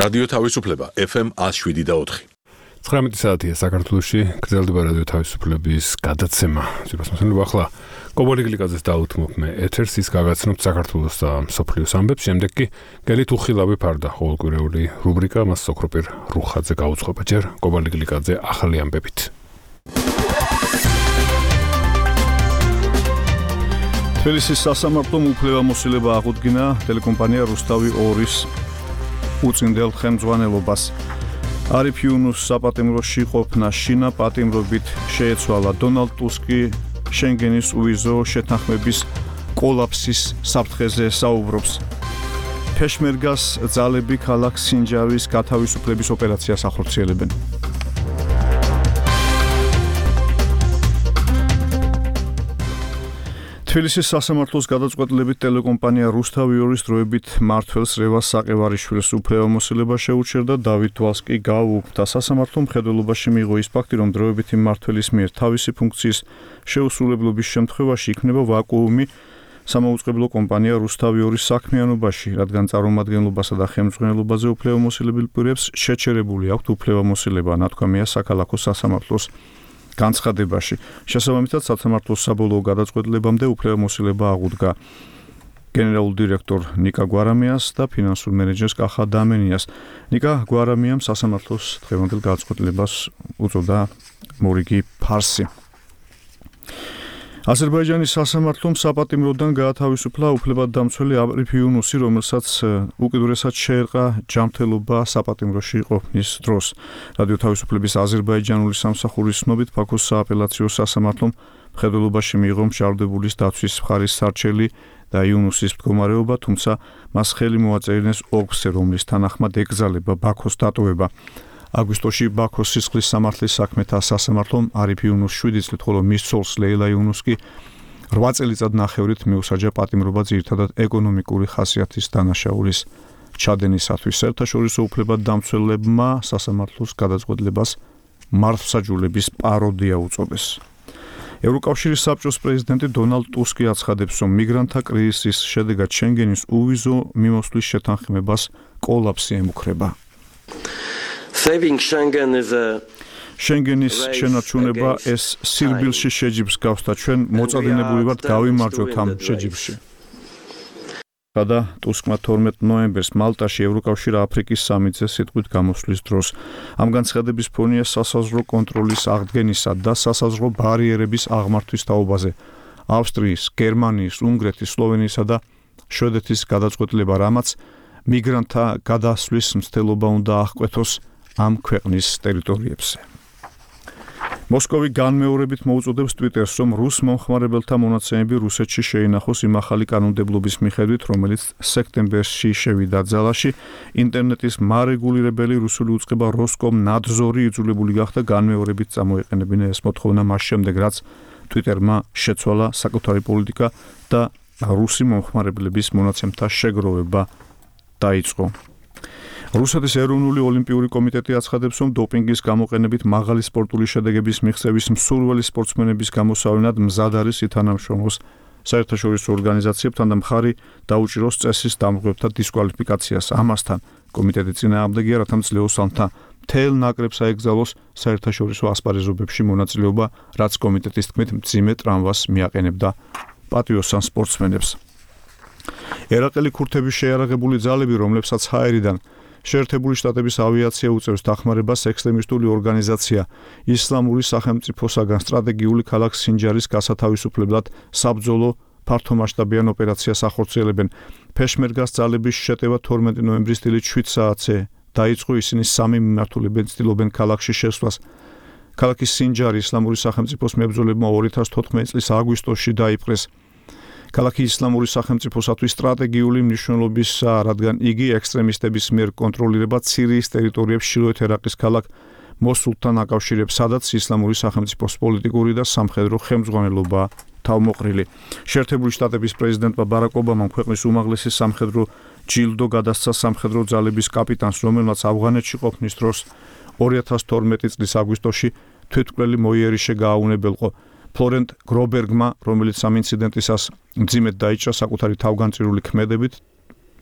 რადიო თავისუფლება FM 107.4. 19 საათია საქართველოში გრძელდება რადიო თავისუფლების გადაცემა. ძირფასმოსავლები ახლა კობალი გლიკაძეს დაუთმობ მე ეთერს ის გაგაცნობთ საქართველოს და მსოფლიოს ამბებს. შემდეგ კი გელით უხილავი ფარდა ყოველკვირეული რუბრიკა მას სოქროპირ რუხაძე გაუძღვება. ჯერ კობალი გლიკაძე ახალი ამბებით. თბილისის სასამართლომ უფლებამოსილება აღუდგინა ტელეკომპანია რუსთავი 2-ის უწინდელ ხელმძღვანელობას. არიფ იუნუს საპატიმროში ყოფნა შინა პატიმრობით შეეცვალა. დონალდ ტუსკი შენგენის უვიზო შეთანხმების კოლაფსის საფრთხეზე საუბრობს. ფეშმერგას ძალები ქალაქ სინჯარის გათავისუფლების ოპერაციას ახორციელებენ. თბილისის სასამართლოს გადაწყვეტილებით ტელეკომპანია რუსთავი 2-ის დროებით მმართველს რევას საყევარიშვილს უფლებამოსილება შეუჩერდა. დავით დვალსკი გააუქმდა. სასამართლომ მხედველობაში მიიღო ის ფაქტი, რომ დროებითი მმართველის მიერ თავისი ფუნქციის შეუსრულებლობის შემთხვევაში იქნება ვაკუუმი სამაუწყებლო კომპანია რუსთავი 2-ის საქმიანობაში, რადგან წარმომადგენლობასა და ხელმძღვანელობაზე უფლებამოსილებელ პირებს შეჩერებული აქვთ უფლებამოსილება, ნათქვამია საქალაქო სასამართლოს განცხადებაში. შესაბამისად, სასამართლოს საბოლოო გადაწყვეტილებამდე უფლებამოსილება აღუდგა გენერალურ დირექტორ ნიკა გვარამიას და ფინანსურ მენეჯერს კახა დამენიას. ნიკა გვარამიამ სასამართლოს დღევანდელ გადაწყვეტილებას უწოდა მორიგი ფარსი. აზერბაიჯანის სასამართლომ საპატიმროდან გაათავისუფლა უფლებადდამცველი არიფ იუნუსი, რომელსაც უკიდურესად შეერყა ჯანმრთელობა საპატიმროში ყოფნის დროს. რადიო თავისუფლების აზერბაიჯანული სამსახურის ცნობით, ბაქოს სააპელაციო სასამართლომ მხედველობაში მიიღო მჟავდებულის დაცვის მხარის სარჩელი და იუნუსის მდგომარეობა, თუმცა მას ხელი მოაწერინეს ოლქზე, რომლის თანახმად ეკრძალება ბაქოს დატოვება. აგვისტოში ბაქოს სისხლის სამართლის საქმეთა სასამართლომ არიფ იუნუსს 7 წლით, ხოლო მის ცოლს ლეილა იუნუსს კი 8 წელიწად ნახევრით მიუსაჯა პატიმრობა ძირითადად ეკონომიკური ხასიათის დანაშაულის ჩადენისათვის. საერთაშორისო უფლებადდამცველებმა სასამართლოს გადაწყვეტილებას მართლმსაჯულების პაროდია უწოდეს. ევროკავშირის საბჭოს პრეზიდენტი დონალდ ტუსკი აცხადებს, რომ მიგრანტთა კრიზისის შედეგად შენგენის უვიზო მიმოსვლის შეთანხმებას კოლაფსი ემუქრება. შენგენის შენარჩუნება ეს სირბილში შეჯიბს გავს და ჩვენ მოწადინებული ვართ გავიმარჯვოთ ამ შეჯიბში. და ტუსკმა 12 ნოემბერს მალტაში ევროკავშირ აფრიკის სამიტზე სიტყვით გამოსვლის დროს. ამ განცხადების ფონია სასაზღვრო კონტროლის აღდგენისა და სასაზღვრო ბარიერების აღმართვის თაობაზე ავსტრიის, გერმანიის, უნგრეთის, სლოვენიისა და შვედეთის გადაწყვეტილება, რამაც მიგრანტთა გადასვლის მცდელობა უნდა აღკვეთოს ამ ქვეყნის ტერიტორიებზე. მოსკოვი განმეორებით მოუწოდებს ტვიტერს, რომ რუს მომხმარებელთა მონაცემები რუსეთში შეინახოს იმ ახალი კანონმდებლობის მიხედვით, რომელიც სექტემბერში შევიდა ძალაში. ინტერნეტის მარეგულირებელი რუსული უწყება როსკომნადზორი იძულებული გახდა განმეორებით წამოეყენებინა ეს მოთხოვნა მას შემდეგ, რაც ტვიტერმა შეცვალა საკუთარი პოლიტიკა და რუსი მომხმარებლების მონაცემთა შეგროვება დაიწყო. რუსეთის ეროვნული ოლიმპიური კომიტეტი აცხადებს, რომ დოპინგის გამოყენებით მაღალი სპორტული შედეგების მიღწევის მსურველი სპორტსმენების გამოსავლენად მზად არის ითანამშრომლოს საერთაშორისო ორგანიზაციებთან და მხარი დაუჭიროს წესის დამღვრებთა დისკვალიფიკაციას. ამასთან კომიტეტი წინააღმდეგია, რათა მძლეოსალთა მთელ ნაკრებს აეკრძალოს საერთაშორისო ასპარეზობებში მონაწილეობა, რაც კომიტეტის თქმით მძიმე ტრამვას მიაყენებდა პატიოსან სპორტსმენებს. ერაყელი ქურთების შეიარაღებული ძალები, რომლებსაც ჰაერიდან შეერთებული შტატების ავიაცია უწევს დახმარებას, ექსტრემისტული ორგანიზაცია ისლამური სახელმწიფოსაგან სტრატეგიული ქალაქ სინჯარის გასათავისუფლებლად საბრძოლო ფართომასშტაბიან ოპერაციას ახორციელებენ. ფეშმერგას ძალების შეტევა 12 ნოემბრის დილით 7 საათზე დაიწყო. ისინი სამი მიმართულებენ ცდილობენ ქალაქში შესვლას. ქალაქის სინჯარი ისლამური სახელმწიფოს მებრძოლებმა 2014 წლის აგვისტოში დაიპყრეს. ქალაქი ისლამური სახელმწიფოსათვის სტრატეგიული მნიშვნელობისაა, რადგან იგი ექსტრემისტების მიერ კონტროლირება სირიის ტერიტორიებს ჩრდილოეთ ერაყის ქალაქ მოსულთან აკავშირებს, სადაც ისლამური სახელმწიფოს პოლიტიკური და სამხედრო ხელმძღვანელობა თავმოყრილი. შეერთებული შტატების პრეზიდენტმა ბარაკ ობამამ ქვეყნის უმაღლესი სამხედრო ჯილდო გადასცა სამხედრო ძალების კაპიტანს, რომელმაც ავღანეთში ყოფნის დროს 2012 წლის აგვისტოში თვითმკვლელი მოიერიშე გააუნებელყო. ფლორენტ გრობერგმა, რომელიც ამ ინციდენტისას მძიმედ დაიჭრა საკუთარი თავგანწირული ქმედებით,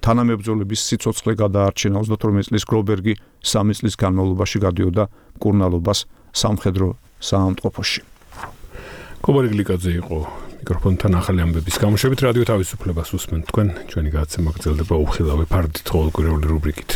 თანამებრძოლების სიცოცხლე გადაარჩინა 38 წლის გრობერგი 3 წლის განმავლობაში გადიოდა მკურნალობას სამხედრო საავადმყოფოში. კობარი გლიკაძე იყო მიკროფონთან ახალი ამბების გამოშვებით რადიო თავისუფლებას უსმენთ თქვენ ჩვენი გადაცემა გრძელდება უხილავი ფარდით ყოველკვირეული რუბრიკით.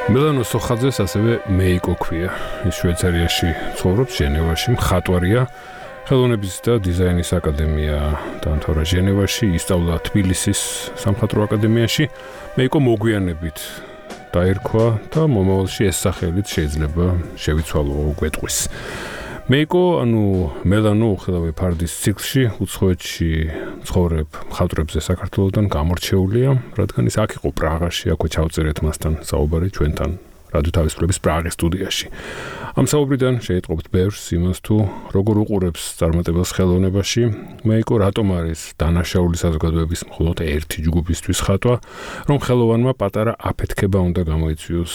მელანო სოხაძეს ასევე მეიკო ქვია. ის შვეიცარიაში ცხოვრობს, ჟენევაში, მხატვარია. ხელოვნების და დიზაინის აკადემია დაამთავრა ჟენევაში, ისწავლა თბილისის სამხატვრო აკადემიაში. მეიკო მოგვიანებით დაერქვა და მომავალში ეს სახელით შეიძლება შევიცვალო გვეტყვის. მეიკო, მელანო უხილავი ფარდის ციკლში უცხოეთში ცხოვრებ მხატვრებზე საქართველოსთან გამორჩეულია, რადგან ის აქ იყო პრაღაში, აქვე ჩავწერეთ მასთან საუბარი ჩვენთან რადიო თავისუფლების პრაღის სტუდიაში. ამ საუბრიდან შეიტყობთ ბევრს იმას თუ როგორ უყურებს წარმატებელს ხელოვნებაში, მეიკო რატომ არის დანაშაული საზოგადოების მხოლოდ ერთი ჯგუფისთვის ხატვა, რომ ხელოვანმა პატარა აფეთქება უნდა გამოიწვიოს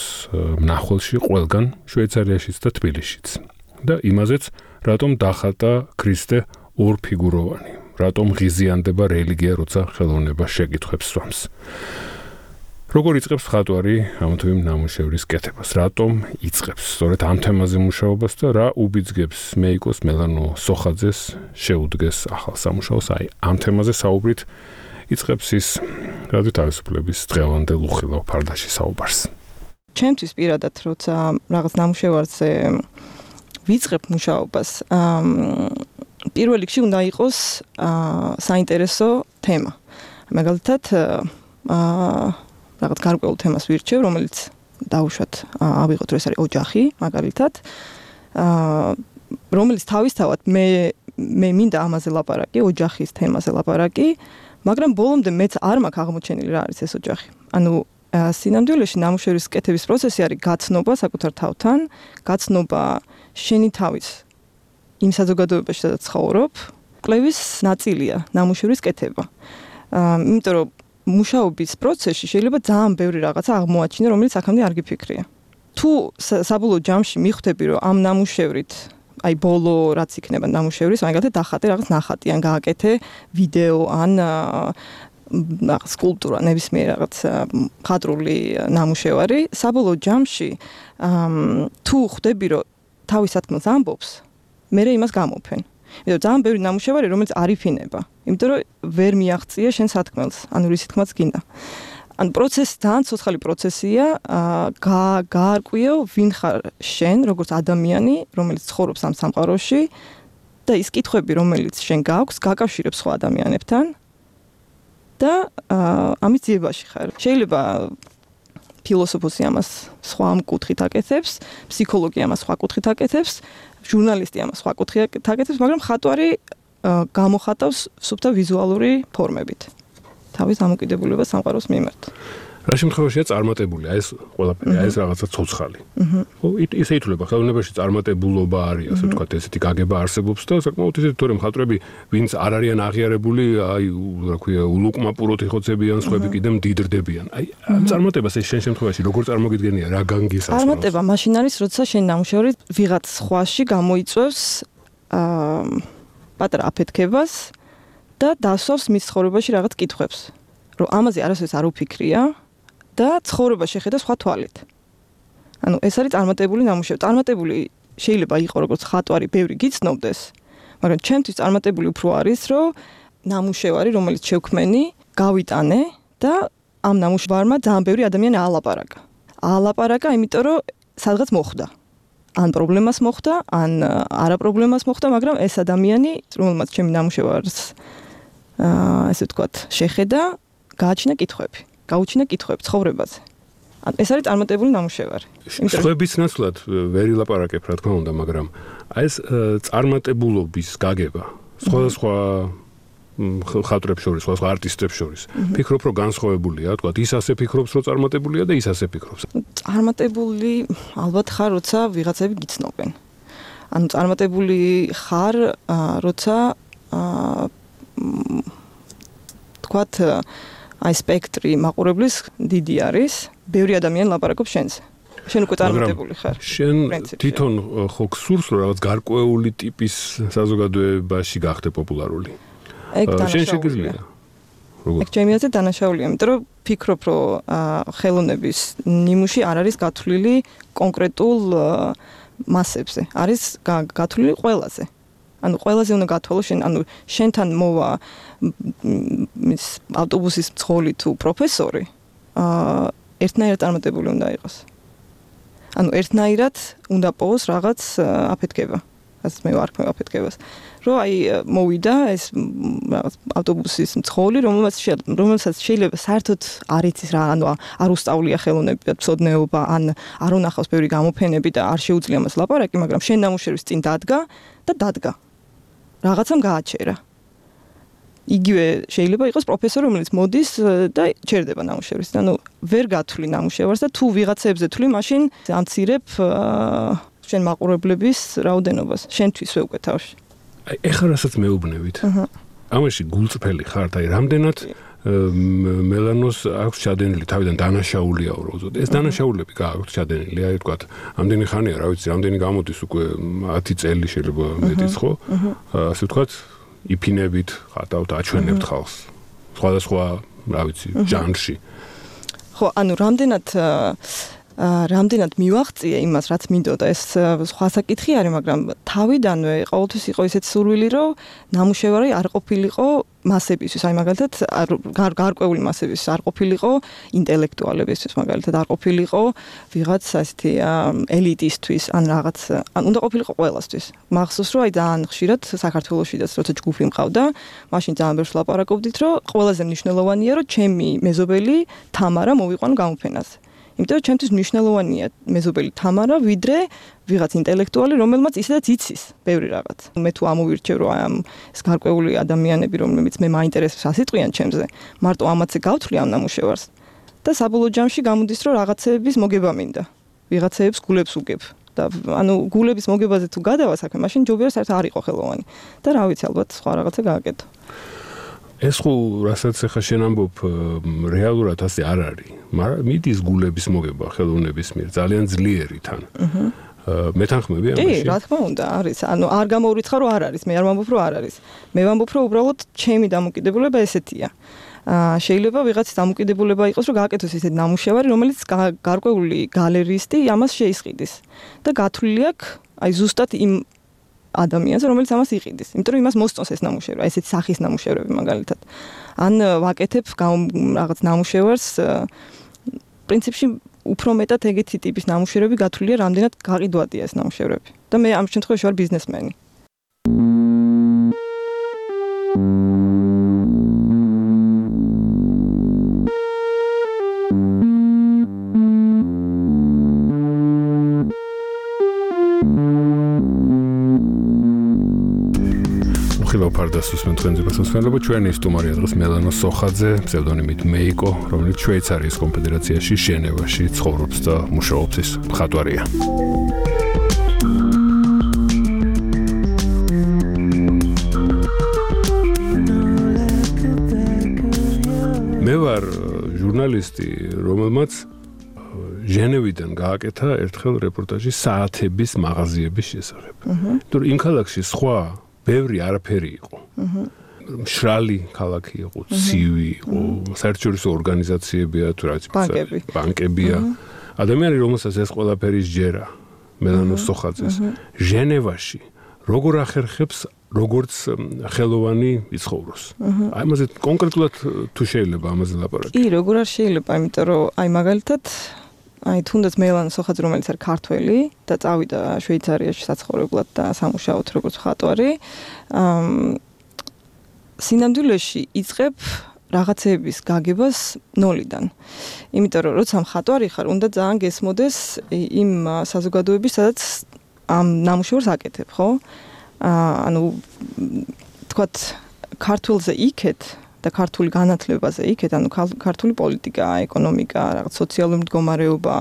მნახველში ყველგან, შვეიცარიაშიც და თბილისშიც. და იმაზეც, რატომ დახატა ქრისტე ორფიგუროვანი, რატომ ღიზიანდება რელიგია, როცა ხელოვნება შეკითხვებს სვამს. როგორ იწყებს მხატვარი ამ თუ იმ ნამუშევრის კეთებას, რატომ იწყებს სწორედ ამ თემაზე მუშაობას და რა უბიძგებს მეიკოს მელანო სოხაძეს შეუდგეს ახალ სამუშაოს, აი ამ თემაზე საუბრით იწყებს ის რადიო თავისუფლების დღევანდელ უხილავ ფარდაში საუბარს. ჩემთვის პირადად, როცა რაღაც ნამუშევარზე ვიწყებ მუშაობას, პირველ რიგში უნდა იყოს საინტერესო თემა. მაგალითად, რაღაც გარკვეულ თემას ვირჩევ, რომელიც დავუშვათ, ავიღოთ, რომ ეს არის ოჯახი, მაგალითად, რომელიც თავისთავად მე მინდა ამაზე ლაპარაკი, ოჯახის თემაზე ლაპარაკი, მაგრამ ბოლომდე მეც არ მაქვს აღმოჩენილი რა არის ეს ოჯახი. სინამდვილეში ნამუშევრის კეთების პროცესი არის გაცნობა საკუთარ თავთან, გაცნობა შენი თავის იმ საზოგადოებაში, სადაც ცხოვრობ, კვლევის ნაწილია ნამუშევრის კეთება. იმიტომ რომ მუშაობის პროცესში შეიძლება ძალიან ბევრი რაღაცა აღმოაჩინო, რომელიც აქამდე არ გიფიქრია. თუ საბოლოო ჯამში მიხვდები, რომ ამ ნამუშევრით, აი ბოლო რაც იქნება ნამუშევრის, მაგალითად დახატე რაღაც ნახატი, ან გააკეთე ვიდეო, ან სკულპტურა, ნებისმიერ რაღაც მხატვრული ნამუშევარი, საბოლოო ჯამში თუ ხვდები, რომ თავის სათქმელს ამბობს, მე იმას გამოფენ. იმიტომ ძალიან ბევრი ნამუშევარი, რომელიც არ იფინება. იმიტომ რომ ვერ მიაღწია შენ სათქმელს, ანუ რის თქმაც გინდა. ანუ პროცესი ძალიან ცოცხალი პროცესია, გაარკვიო ვინ ხარ შენ, როგორც ადამიანი, რომელიც ცხოვრობს ამ სამყაროში და ის კითხვები, რომელიც შენ გაქვს, გაკავშირებს სხვა ადამიანებთან და ამის ძიებაში ხარ. შეიძლება ფილოსოფოსი ამას სხვა კუთხით აკეთებს, ფსიქოლოგი ამას სხვა კუთხით აკეთებს, ჟურნალისტი ამას სხვა კუთხით აკეთებს, მაგრამ მხატვარი გამოხატავს სუფთა ვიზუალური ფორმებით თავის დამოკიდებულებას სამყაროს მიმართ. რა შემთხვევაშია წარმატებული, ეს ყველაფერი, ეს რაღაცა ცოცხალი. ხო, ისე ითვლება, ხელოვნებაში წარმატებულობა არის, ასე ვთქვათ, ესეთი გაგება არსებობს და საკმაოდ ისეთი თორემ მხატვრები, ვინც არ არიან აღიარებული, აი, რა ქვია, ულუკმაპუროთ იხოცებიან, სხვები კიდე მდიდრდებიან. აი, ამ წარმატებას ეს შენ შემთხვევაში როგორ წარმოგიდგენია, რა განგისავს? წარმატება მაშინ არის, როცა შენ ნამუშევარი ვიღაც სხვაში გამოიწვევს პატარა აფეთქებას და დასვავს მის ცხოვრებაში რაღაც კითხვებს. რომ ამაზე არასოდეს არ უფიქრია და ცხოვრება შეხედა სხვა თვალით. ანუ ეს არის წარმატებული ნამუშევარი. წარმატებული შეიძლება იყოს როგორც ხატვარი, ბევრი გიცნობდეს, მაგრამ ჩემთვის წარმატებული უფრო არის, რომ ნამუშევარი, რომელიც შევქმენი, გავიტანე და ამ ნამუშევარმა ძალიან ბევრი ადამიანი აალაპარაკა, იმიტომ რომ სადღაც მოხვდა. ან პრობლემას მოხვდა, ან არა პრობლემას მოხვდა, მაგრამ ეს ადამიანი, რომელმაც ჩემი ნამუშევარს ესე ვთქვათ, შეხედა, გააჩინა კითხვები ცხოვრებაზე. ეს არის წარმატებული ნამუშევარი. სხვების ნაცვლად ვერ ილაპარაკებ, რა თქმა უნდა, მაგრამ ეს წარმატებულობის გაგება სხვადასხვა ხატრებს შორის, სხვა არტისტებს შორის. ფიქრობ, რომ განსხვავებულია, თქვა, ის ასე ფიქრობს, რომ წარმატებულია და ის ასე ფიქრობს. წარმატებული ალბათ ხარ, როცა ვიღაცები გიცნობენ. ანუ წარმატებული ხარ, როცა თქვათ, აი სპექტრი მაყურებლის დიდი არის, ბევრი ადამიანი ლაპარაკობს შენზე. შენ უკვე წარმატებული ხარ. შენ თვითონ ხო გსურს, რომ რაღაც გარკვეული ტიპის საზოგადოებაში გახდე პოპულარული? შენ შეგიძლია. ეგ ჩემი აზრით დანაშაულია, იმიტომ რომ ფიქრობ, რომ ხელოვნების ნიმუში არ არის გათვლილი კონკრეტულ მასებზე, არის გათვლილი ყველაზე. ანუ ყველაზე უნდა გათვალო შენ, ანუ შენთან მოვა ის ავტობუსის მძღოლი თუ პროფესორი, ერთნაირად წარმატებული უნდა იყოს. ანუ ერთნაირად უნდა პოვოს რაღაც აფეთქება. ასე მე ვარქმევ აფეთქებას. რომ აი მოვიდა ეს რაღაც ავტობუსის მძღოლი, რომელსაც შეიძლება საერთოდ არ იცის რა, ანუ არ უსწავლია ხელოვნებად მცოდნეობა, ან არ უნახავს ბევრი გამოფენები და არ შეუძლია მას ლაპარაკი, მაგრამ შენ ნამუშევრის წინ დადგა. რაღაცამ გააჩერა. იგივე შეიძლება იყოს პროფესორი, რომელიც მოდის და ჩერდება ნამუშევრის. ანუ ვერ გათვლი ნამუშევარს და თუ ვიღაცებზე თვლი, მაშინ ამცირებ შენ მაყურებლების რაოდენობას. შენთვის უკვე თავში. აი ეხლა რასაც მეუბნევით. ამაში გულწრფელი ხართ, აი რამდენად მელანოს აქვს ჩადენილი თავიდან დანაშაულია უბრალოდ. ეს დანაშაულები გააქვთ ჩადენილი, აი თქვა, ამდენი ხანია, რა ვიცი, ამდენი გამოდის უკვე 10 წელი შეიძლება მეტიც ხო? ასე ვთქვათ, იფინებით, ხატავთ, აჩვენებთ ხალხს. სხვადასხვა, რა ვიცი, ჟანრში. ხო, ანუ რამდენად მივაღწია იმას, რაც მინდოდა, ეს სხვა საკითხი არის, მაგრამ თავიდანვე ყოველთვის იყო ისეთ სურვილი, რომ ნამუშევარი არ ყოფილიყო მასებისთვის, აი მაგალითად გარკვეული მასებისთვის არ ყოფილიყო ინტელექტუალებისთვის, მაგალითად არ ყოფილიყო ვიღაც ასეთი ელიტისთვის, ან რაღაც, ან უნდა ყოფილიყო ყველასთვის. მახსოვს, რომ აი ძალიან ხშირად საქართველოშიდაც როცა ჯგუფი მყავდა, მაშინ ძალიან ბევრს ლაპარაკობდით, რომ ყველაზე მნიშვნელოვანია, რომ ჩემი მეზობელი თამარა მოვიყვანო გამოფენაზე. იმიტომ რომ ჩემთვის მნიშვნელოვანია მეზობელი თამარა, ვიდრე ვიღაც ინტელექტუალი, რომელმაც ისედაც იცის ბევრი რაღაც. მე თუ ამოვირჩევ, რომ ამ ეს გარკვეული ადამიანები, რომლებიც მე მაინტერესებს ასიტყვიან ჩემზე, მარტო ამათზე გავთვლი ამ ნამუშევარს და საბოლოო ჯამში გამოდის, რომ რაღაცეების მოგება მინდა. ვიღაცეებს გულებს უგებ. და ანუ გულების მოგებაზე თუ გადავა საქმე, მაშინ ჯობია საერთოდ არ იყო ხელოვანი. და რა ვიცი, ალბათ სხვა რაღაცა გააკეთო. ეს ხო რასაც ახლა შენ ამბობ რეალურად ასე არ არის, მაგრამ მიდის გულების მოგება ხელოვნების მიერ ძალიან ძლიერი თან. მეთანხმები ამაში? კი, რა თქმა უნდა, არის. ანუ არ გამოურიცხა რომ არ არის, მე არ ვამბობ რომ არ არის. მე ვამბობ რომ უბრალოდ ჩემი დამოკიდებულება ესეთია. შეიძლება ვიღაცის დამოკიდებულება იყოს რომ გააკეთოს ისეთ ნამუშევარი, რომელიც გარკვეული გალერისტი ამას შეისყიდის. და გათვლილი აქვს აი ზუსტად იმ ადამიანს, რომელიც ამას იყიდის. იმიტომ რომ იმას მოსწონს ეს ნამუშევარი, ესეთი სახის ნამუშევრები მაგალითად. ან ვაკეთებ რაღაც ნამუშევარს, პრინციპში უფრო მეტად ეგეთი ტიპის ნამუშევრები გათვლილია, რამდენად გაყიდვადია ეს ნამუშევრები. და მე ამ შემთხვევაში ვარ ბიზნესმენი. ფარდასუს მენთხენძებას უსმენლობა ჩვენი სტუმარია დღეს მელანო სოხაძე, ფსევდონიმით მეიკო, რომელიც შვეიცარიის კონფედერაციაში ჟენევაში ცხოვრობს და მუშაობს, ის მხატვარია. მე ვარ ჟურნალისტი, რომელმაც ჟენევიდან გააკეთა ერთხელ რეპორტაჟი საათების მაღაზიების შესახებ. თუ იმ ქალაქში სხვა ბევრი არაფერი იყო. მშრალი ქალაქი იყო, ცივი იყო, საერთაშორისო ორგანიზაციებია, თუ რა ვიცი, ბანკებია. ადამიანი, რომელსაც ეს ყველაფერი სჯერა, მელანო სოხაძეს, ჟენევაში როგორ ახერხებს, როგორც ხელოვანი იცხოვროს. აი ამაზე კონკრეტულად თუ შეიძლება ამაზე ლაპარაკი. კი, როგორ არ შეიძლება, იმიტომ რომ აი მაგალითად აი თუნდაც მელანო სოხაძე, რომელიც არის ქართველი და წავიდა შვეიცარიაში საცხოვრებლად და სამუშაოდ როგორც მხატვარი, სინამდვილეში იწყებ რაღაცების გაგებას ნოლიდან. იმიტომ რომ როცა მხატვარი ხარ, უნდა ძალიან გესმოდეს იმ საზოგადოების, სადაც ამ ნამუშევრს აკეთებ, ხო? ანუ თქვათ ქართულზე იქეთ და ქართული განათლებაზე იქეთ, ანუ ქართული პოლიტიკა, ეკონომიკა, რაღაც სოციალური მდგომარეობა,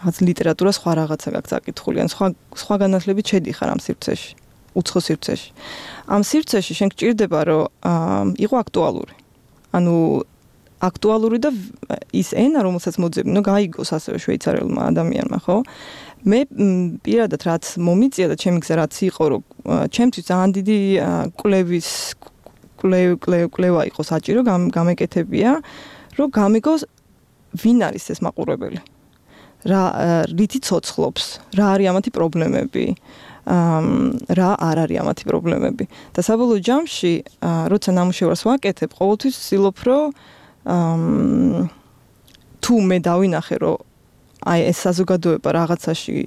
რაღაც ლიტერატურა, სხვა რაღაცა გაქვს აკითხული, ან სხვა განათლებით შედიხარ ამ სივრცეში, უცხო სივრცეში. ამ სივრცეში შენ გჭირდება, რომ იყო აქტუალური. ანუ აქტუალური და ის ენა, რომელსაც მოძებნო, გაიგოს ასევე შვეიცარიელმა ადამიანმა, ხო? მე პირადად რაც მომიწია და ჩემი გზა რაც იყო, რომ ჩემთვის ძალიან დიდი კლევა იყო საჭირო, გამეკეთებია, რომ გამიგოს ვინ არის ეს მაყურებელი. რითი ცოცხლობს, რა არის ამათი პრობლემები, რა არ არის ამათი პრობლემები. და საბოლოო ჯამში, როცა ნამუშევარს ვაკეთებ, ყოველთვის ვცდილობ, რომ თუ მე დავინახე, რომ აი ეს საზოგადოება რაღაცაში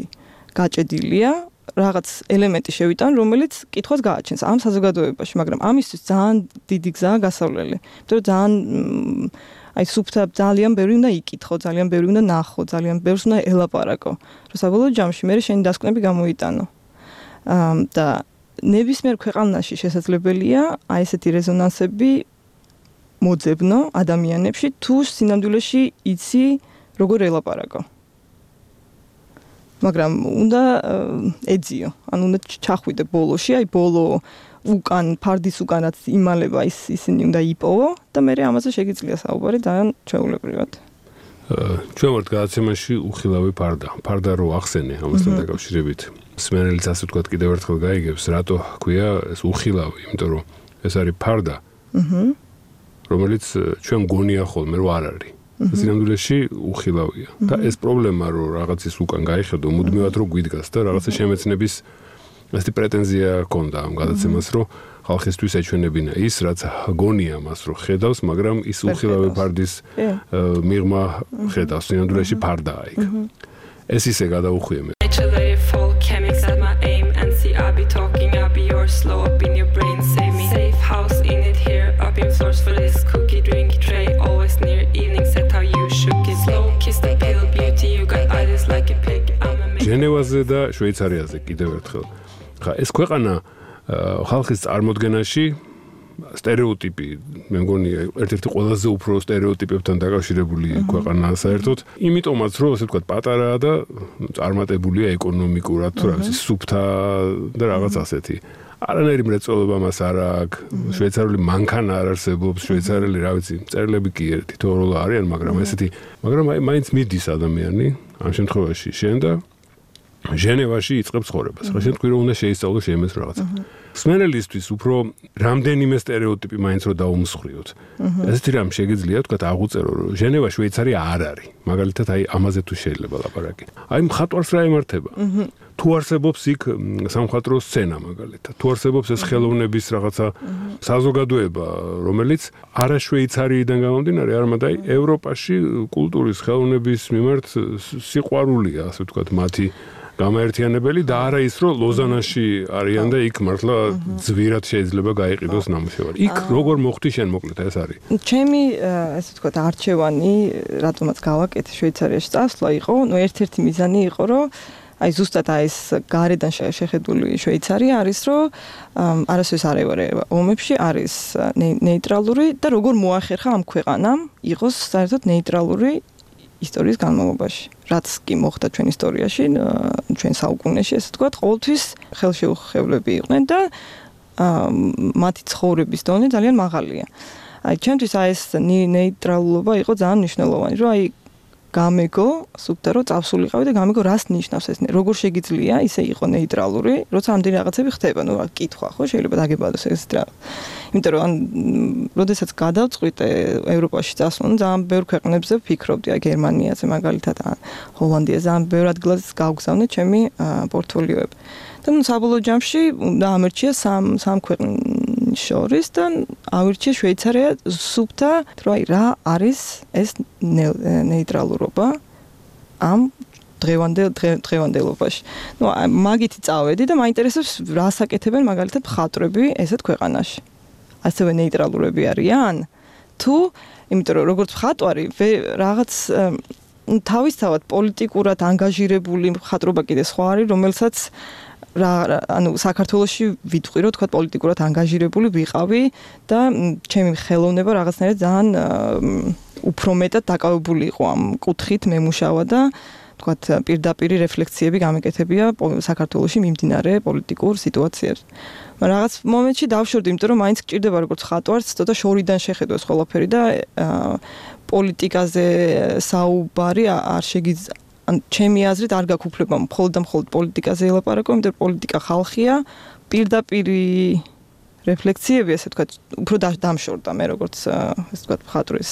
გაჭედილია, რაღაც ელემენტი შევიტან, რომელიც კითხვას გააჩენს ამ საზოგადოებაში, მაგრამ ამისთვის ძალიან დიდი გზაა გასავლელი. იმიტომ რომ ძალიან აი სუფთა ძალიან ბევრი უნდა იკითხო, ძალიან ბევრი უნდა ნახო, ძალიან ბევრს უნდა ელაპარაკო. რომ საბოლოო ჯამში მე შენი დასკვნები გამოიტანო. და ნებისმიერ ქვეყანაში შესაძლებელია აი ესეთი რეზონანსები მოძებნო ადამიანებში, თუ სინამდვილეში იცი როგორ ელაპარაკო. მაგრამ უნდა ეძიო, ანუ უნდა ჩახვიდე ბოლოში, აი ბოლო უკან ფარდის უკანაც იმალება ისინი უნდა იპოვო და მე ამაზე შეგიძლია საუბარი ძალიან ჩვეულებრივად. ჩვენ ვართ გადაცემაში უხილავი ფარდა რო ახსენე ამასთან დაკავშირებით. სმენელიც ასე ვთქვათ კიდევ ერთხელ გაიგებს, რატო ქვია ეს უხილავი, იმიტომ რომ ეს არის ფარდა. რომელიც ჩვენ გონია ხოლმე რომ არ არის. სინამდვილეში უხილავია. და ეს პრობლემა რომ რაღაცის უკან გაიხედო, მუდმივად რომ გვიდგას და რაღაცა შემეცნების ასეთი პრეტენზია ჰქონდა ამ გადაცემას, რომ ხალხისთვის ეჩვენებინა ის, რაც გონია მას რომ ხედავს, მაგრამ ის უხილავი ფარდის მიღმა ხედავს, სინამდვილეში ფარდაა იქ. ეს ისე გადაუხვია მე. ჟენევაზე და შვეიცარიაზე კიდევ ერთხელ. ხა ეს ქვეყანა ხალხის წარმოდგენაში стереოტიპი, მე მგონი ერთ-ერთი ყველაზე უფრო стереოტიპებთან დაკავშირებული ქვეყანაა საერთოდ. იმიტომაც რომ ასე ვთქვათ პატარაა და წარმატებულია ეკონომიკურად, თუ რა ვიცი, სუფთა და რაღაც ასეთი. არანაირი მრეწველობა მას არ აქვს, შვეიცარიული მანქანა არ არსებობს, შვეიცარიელი, რა ვიცი, მწერლები კი თითოეულ არიან, მაგრამ ესეთი, მაგრამ აი მაინც მიდის ადამიანი ამ შემთხვევაში შენ და ჟენევაში იწყებს ცხოვრებას. ხა შენ თქვი რომ უნდა შეისწავლო შემეს რაღაცა. სმენელისთვის უფრო რამდენიმე стереოტიპი მაინც რო დაუმსხვრიოთ. ესეთი რამ შეგიძლია თქვა აღუწერო რომ ჟენევა შვეიცარია არ არის. მაგალითად აი ამაზე თუ შეიძლება ლაპარაკი. აი მხატვარს რა ემართება? თუ არსებობს იქ სამხატვრო სცენა მაგალითად. თუ არსებობს ეს ხელოვნების რაღაცა საზოგადოება, რომელიც არა შვეიცარიიდან გამომდინარე, არამედ აი ევროპაში კულტურის ხელოვნების მიმართ სიყვარულია, ასე ვთქვათ, მათი გამაერთიანებელი და არა ის რომ ლოზანაში არიან და იქ მართლა ძვირად შეიძლება გაიყიდოს ნამუშევარი. იქ როგორ მოხდი შენ მოკლედ ეს არის. ჩემი ასე ვთქვათ არჩევანი, რატომაც გავაკეთე შვეიცარიაში წასვლა იყო, ერთ-ერთი მიზანი იყო, რომ აი ზუსტად ეს გარედან შეხედული შვეიცარია არის, რომ არასოდეს არ ევარე ომებში, არის ნეიტრალური და როგორ მოახერხა ამ ქვეყანამ იყოს საერთოდ ნეიტრალური ისტორიის განმავლობაში. რაც კი მოხდა ჩვენ ისტორიაში, ჩვენ საუკუნეში, ასე ვთქვათ, ყოველთვის ხელშეუხებლები იყვნენ და მათი ცხოვრების დონე ძალიან მაღალია. აი ჩვენთვის აი ეს ნეიტრალობა იყო ძალიან მნიშვნელოვანი, რომ აი გამეგო, სუფთა რომ წავსულიყავი და გამეგო რას ნიშნავს ეს, როგორ შეგიძლია ისე იყო ნეიტრალური, როცა ამდენი რაღაცები ხდება, ნუ კითხვა ხო შეიძლება დაგებადოს ეს რა. იმიტომ რომ როდესაც გადავწყვიტე ევროპაში წასვლა, ძალიან ბევრ ქვეყნებზე ვფიქრობდი, აი გერმანიაზე მაგალითად, ჰოლანდიაზე, ძალიან ბევრ ადგილას გავგზავნე ჩემი პორტფოლიოები. და ნუ საბოლოო ჯამში ამერჩია სამ ქვეყნის შორის და ავირჩია შვეიცარია სუფთა, რომ აი რა არის ეს ნეიტრალურობა ამ დღევანდელობაში. ნუ მაგითი წავედი და მაინტერესებს რას აკეთებენ მაგალითად მხატვრები ესეთ ქვეყანაში. ასევე ნეიტრალურები არიან? თუ, იმიტომ რომ როგორც მხატვარი რაღაც თავისთავად პოლიტიკურად ანგაჟირებული მხატვრობა კიდე სხვა არის, რომელსაც ანუ საქართველოში ვიტყვი რომ თქვა პოლიტიკურად ანგაჟირებული ვიყავი და ჩემი ხელოვნება რაღაცნაირად ძალიან უფრო მეტად დაკავებული იყო ამ კუთხით მემუშავა და თქვა პირდაპირი რეფლექსიები გამეკეთებია საქართველოში მიმდინარე პოლიტიკურ სიტუაციებს. მაგრამ რაღაც მომენტში დავშორდი, იმიტომ რომ მაინც გჭირდება როგორც ხატვარს, ცოტა შორიდან შეხედოს ყველაფერი და პოლიტიკაზე საუბარი არ შეგიძლია ან ჩემი აზრით არ გაქვს უფლება მხოლოდ და მხოლოდ პოლიტიკაზე ელაპარაკო, იმიტომ რომ პოლიტიკა ხალხია, პირდაპირი რეფლექსიები, ასე ვთქვათ, უფრო დამშორდა მე როგორც ასე ვთქვათ, ხატვრის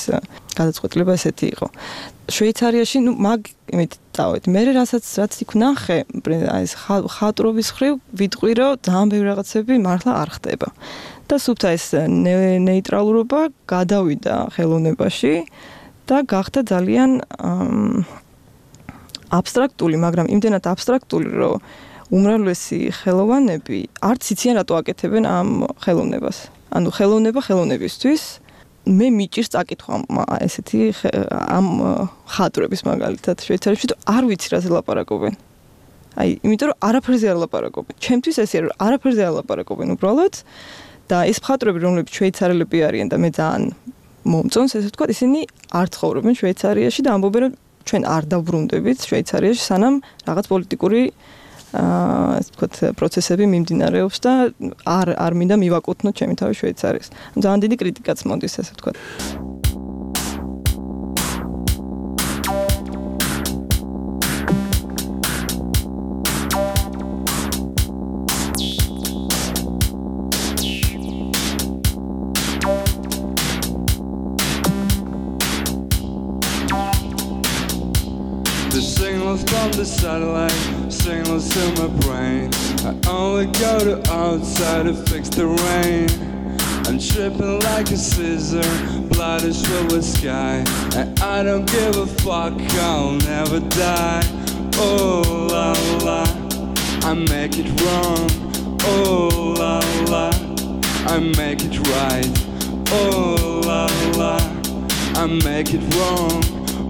გადაწყვეტილება ესეთი იყო. შვეიცარიაში, იმით დავით, მე რაც იქ ვნახე, აი ეს ხატრობის ხრივ ვიტყვი, რომ ძალიან ბევრი რაღაცები მართლა არ ხდება. და სუფთა ეს ნეიტრალურობა გადავიდა ხელოვნებაში და გახდა ძალიან აბსტრაქტული, მაგრამ იმდენად აბსტრაქტული, რომ უმრავლესი ხელოვანები არც იციან რატო აკეთებენ ამ ხელოვნებას. ანუ ხელოვნება ხელოვნებისთვის მე მიჭირს წაკითხვა ესეთი ამ ხატრების მაგალითად შვეიცარიაში და არ ვიცი რაზე ლაპარაკობენ. აი, იმიტომ რომ არაფერზე არ ლაპარაკობენ. ჩემთვის ესეა რომ არაფერზე არ ლაპარაკობენ უბრალოდ და ეს ხატრები რომლებიც შვეიცარელები არიან და მე ძალიან მომწონს ესე ვთქვათ, ისინი არ ცხოვრობენ შვეიცარიაში და ამბობენ რომ ჩვენ არ დავბრუნდებით შვეიცარიაში სანამ რაღაც პოლიტიკური ასე ვთქვათ პროცესები მიმდინარეობს და არ მინდა მივაკუთვნოთ ჩემი თავი შვეიცარიის. ძალიან დიდი კრიტიკაც მოდის ასე ვთქვათ. From the satellite, signals to my brain. I only go to outside to fix the rain. I'm tripping like a scissor, blood is filled with sky. And I don't give a fuck, I'll never die. Oh la la, I make it wrong. Oh la la, I make it right. Oh la la, I make it wrong.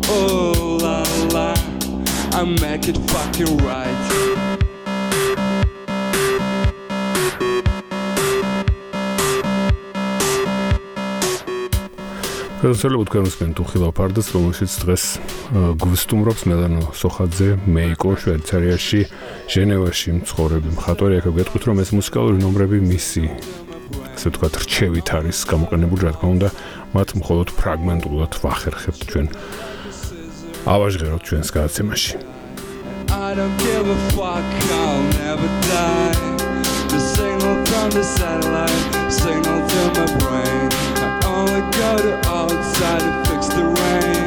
Oh la la, I make it fucking right. Ხელსაყრელად თქვენს თუხილ აფარდას, რომელშიც დღეს გვსტუმრობს მელანო სოხაძე, მეიკო შვეიცარიაში, ჟენევაში მცხოვრები მხატვარი. აქ გეტყვით, რომ ეს მუსიკალური ნომრები მისი, ასე ვთქვათ, რჩევით არის გამოყენებული, რა თქმა უნდა, მათ მხოლოდ ფრაგმენტულად ვახერხებთ ჩვენ. ავაჟღეროთ ჩვენს გადაცემაში. I don't give a fuck, I'll never die. The signal from the satellite, signal to my brain. I only go to outside to fix the rain.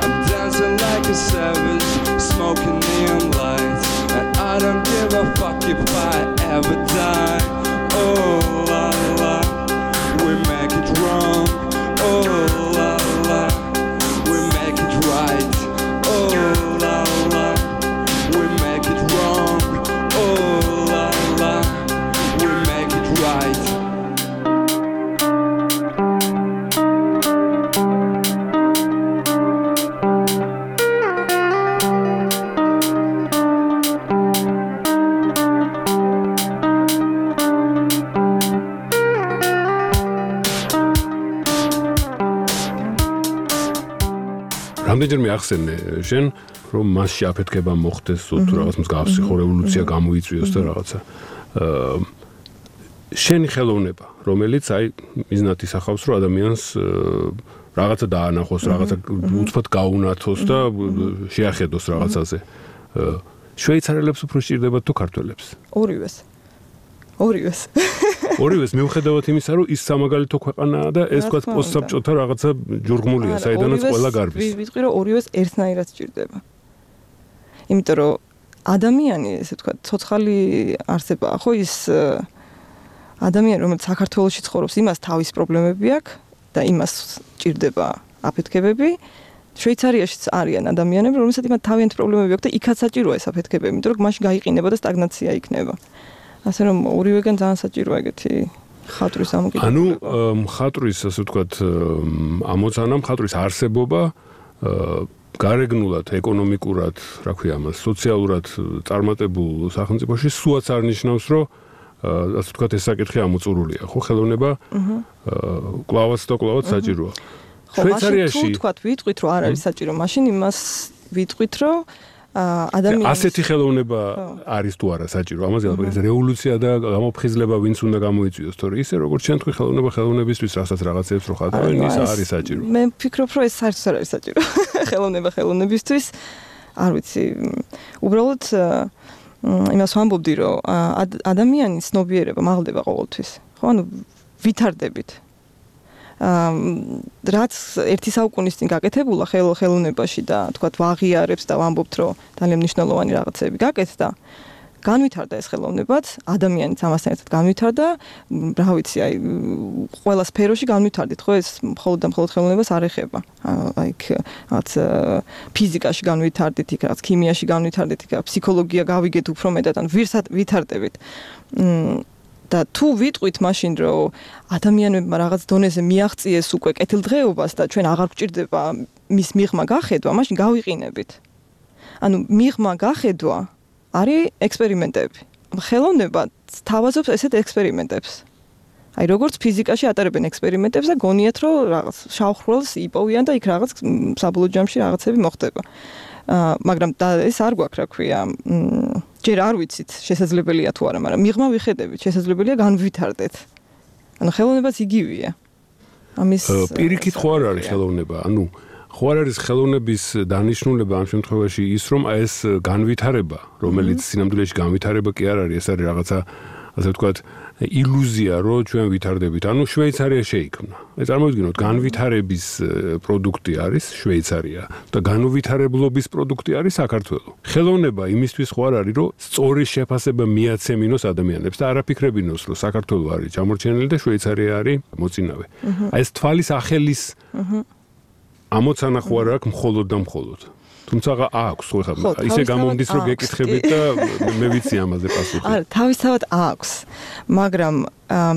I'm dancing like a savage, smoking neon lights. And I don't give a fuck if I ever die. Oh la la, we make it wrong. Oh la la, we make it right. Oh la la, we make it wrong. Oh la la, we make it right. რამდენჯერმე ახსენე შენ რომ მასში აფეთქება მოხდეს თუ რაღაც მსგავსი ხო რევოლუცია გამოიწვიოს და რაღაცა შენი ხელოვნება რომელიც აი მიზნად ისახავს რომ ადამიანს რაღაცა დაანახოს რაღაცა უცბად გაუნათოს და შეახედოს რაღაცაზე შვეიცარელებს უფრო სჭირდებათ თუ ქართველებს ორივეს მიუხედავად იმისა რომ ის სამაგალითო ქვეყანაა და ეს თქვა პოსტსაბჭოთა რაღაცა ჯურგმულია საიდანაც ყველა გარბის ვიტყვი რომ ორივეს ერთნაირად სჭირდება იმიტომ რომ ადამიანი ესე ვთქვა ცოცხალი არსებაა ხო ის ადამიანი რომელიც საქართველოში ცხოვრობს იმას თავის პრობლემები აქვს და იმას სჭირდება აფეთქებები შვეიცარიაშიც არიან ადამიანები რომელსაც იმათ თავიანთი პრობლემები აქვს და იქაც საჭიროა ეს აფეთქებები იმიტომ რომ მაშინ გაიყინება და სტაგნაცია იქნება ასე რომ ორივეგან ძალიან საჭიროა ეგეთი ხატვის ამოკიდებულება. ანუ ხატვის ასე ვთქვათ ამოცანა ხატვის არსებობა გარეგნულად, ეკონომიკურად, რა ქვია ამას, სოციალურად წარმატებულ სახელმწიფოში სუაც არ ნიშნავს, რომ ასე ვთქვათ, ეს საკითხი ამოწურულია, ხო, ხელოვნება კლავაც და კლავაც საჭიროა. შვეიცარიაში თუ თქვათ ვიტყვით, რომ არ არის საჭირო, მაშინ იმას ვიტყვით, რომ ადამიანის ასეთი ხელოვნება არის თუ არა საჭირო. ამაზე ალბათ რევოლუცია და გამოფხიზლება ვინც უნდა გამოიწვიოს, თორე ისე როგორც ჩვენ თქვი ხელოვნებისთვის, რასაც რაღაცებს რო ხატავენ, ის არის საჭირო. მე ვფიქრობ, რომ ეს საერთოდ არ არის საჭირო. ხელოვნებისთვის, არ ვიცი, უბრალოდ იმას ვამბობდი, რომ ადამიანის ცნობიერება მაღლდება ყოველთვის. ხო, ანუ ვითარდებით. რაც ერთი საუკუნის წინ გაკეთებულა ხელოვნებაში და თქვათ ვაღიარებს და ვამბობთ, რომ ძალიან მნიშვნელოვანი რაღაცები გაკეთდა, განვითარდა ეს ხელოვნებაც, ადამიანიც ამასთან ერთად განვითარდა, რა ვიცი, აი ყველა სფეროში განვითარდით, ხო, ეს მხოლოდ და მხოლოდ ხელოვნებას არ ეხება. აი რაც ფიზიკაში განვითარდით, იქ რაც ქიმიაში განვითარდით, იქ ფსიქოლოგია გავიგეთ უფრო მეტად, ან ვითარდებით. და თუ ვიტყვით მაშინ, რომ ადამიანებმა რაღაც დონეზე მიაღწიეს უკვე კეთილდღეობას და ჩვენ აღარ გვჭირდება მის მიღმა გახედვა, მაშინ გავიყინებით. ანუ მიღმა გახედვა არის ექსპერიმენტები. ხელოვნება თავაზობს ესეთ ექსპერიმენტებს. აი როგორც ფიზიკაში ატარებენ ექსპერიმენტებს და გონიათ, რომ რაღაც შავხროლს იპოვიან და იქ რაღაც საბოლოო ჯამში რაღაცები მოხდება. მაგრამ ეს არ გვაქვს, რა ქვია, ჯერ არ ვიცით შესაძლებელია თუ არა, მაგრამ მიღმა ვიხედებით, შესაძლებელია განვითარდეთ. ანუ ხელოვნებაც იგივეა. ამის პირიქით ხო არ არის ხელოვნება, ანუ ხო არ არის ხელოვნების დანიშნულება ამ შემთხვევაში ის, რომ ეს განვითარება, რომელიც სინამდვილეში განვითარება კი არ არის, ეს არის რაღაცა, ასე ვთქვათ, ილუზია, რომ ჩვენ ვითარდებით. ანუ შვეიცარია შეიქმნა. წარმოვიდგინოთ, განვითარების პროდუქტი არის შვეიცარია და განუვითარებლობის პროდუქტი არის საქართველო. ხელოვნება იმისთვის ხო არ არის, რომ სწორი შეფასება მიაცემინოს ადამიანებს და არაფიქრებინოს, რომ საქართველო არის ჩამორჩენილი და შვეიცარია არის მოწინავე. აი ეს თვალის ახელის ამოცანა ხო არ აქვს მხოლოდ და მხოლოდ. თუმცა აქვს, ხო ხა, ისე გამომდის, რომ გეკითხებით და მე ვიცი ამაზე პასუხი. არა, თავისთავად აქვს, მაგრამ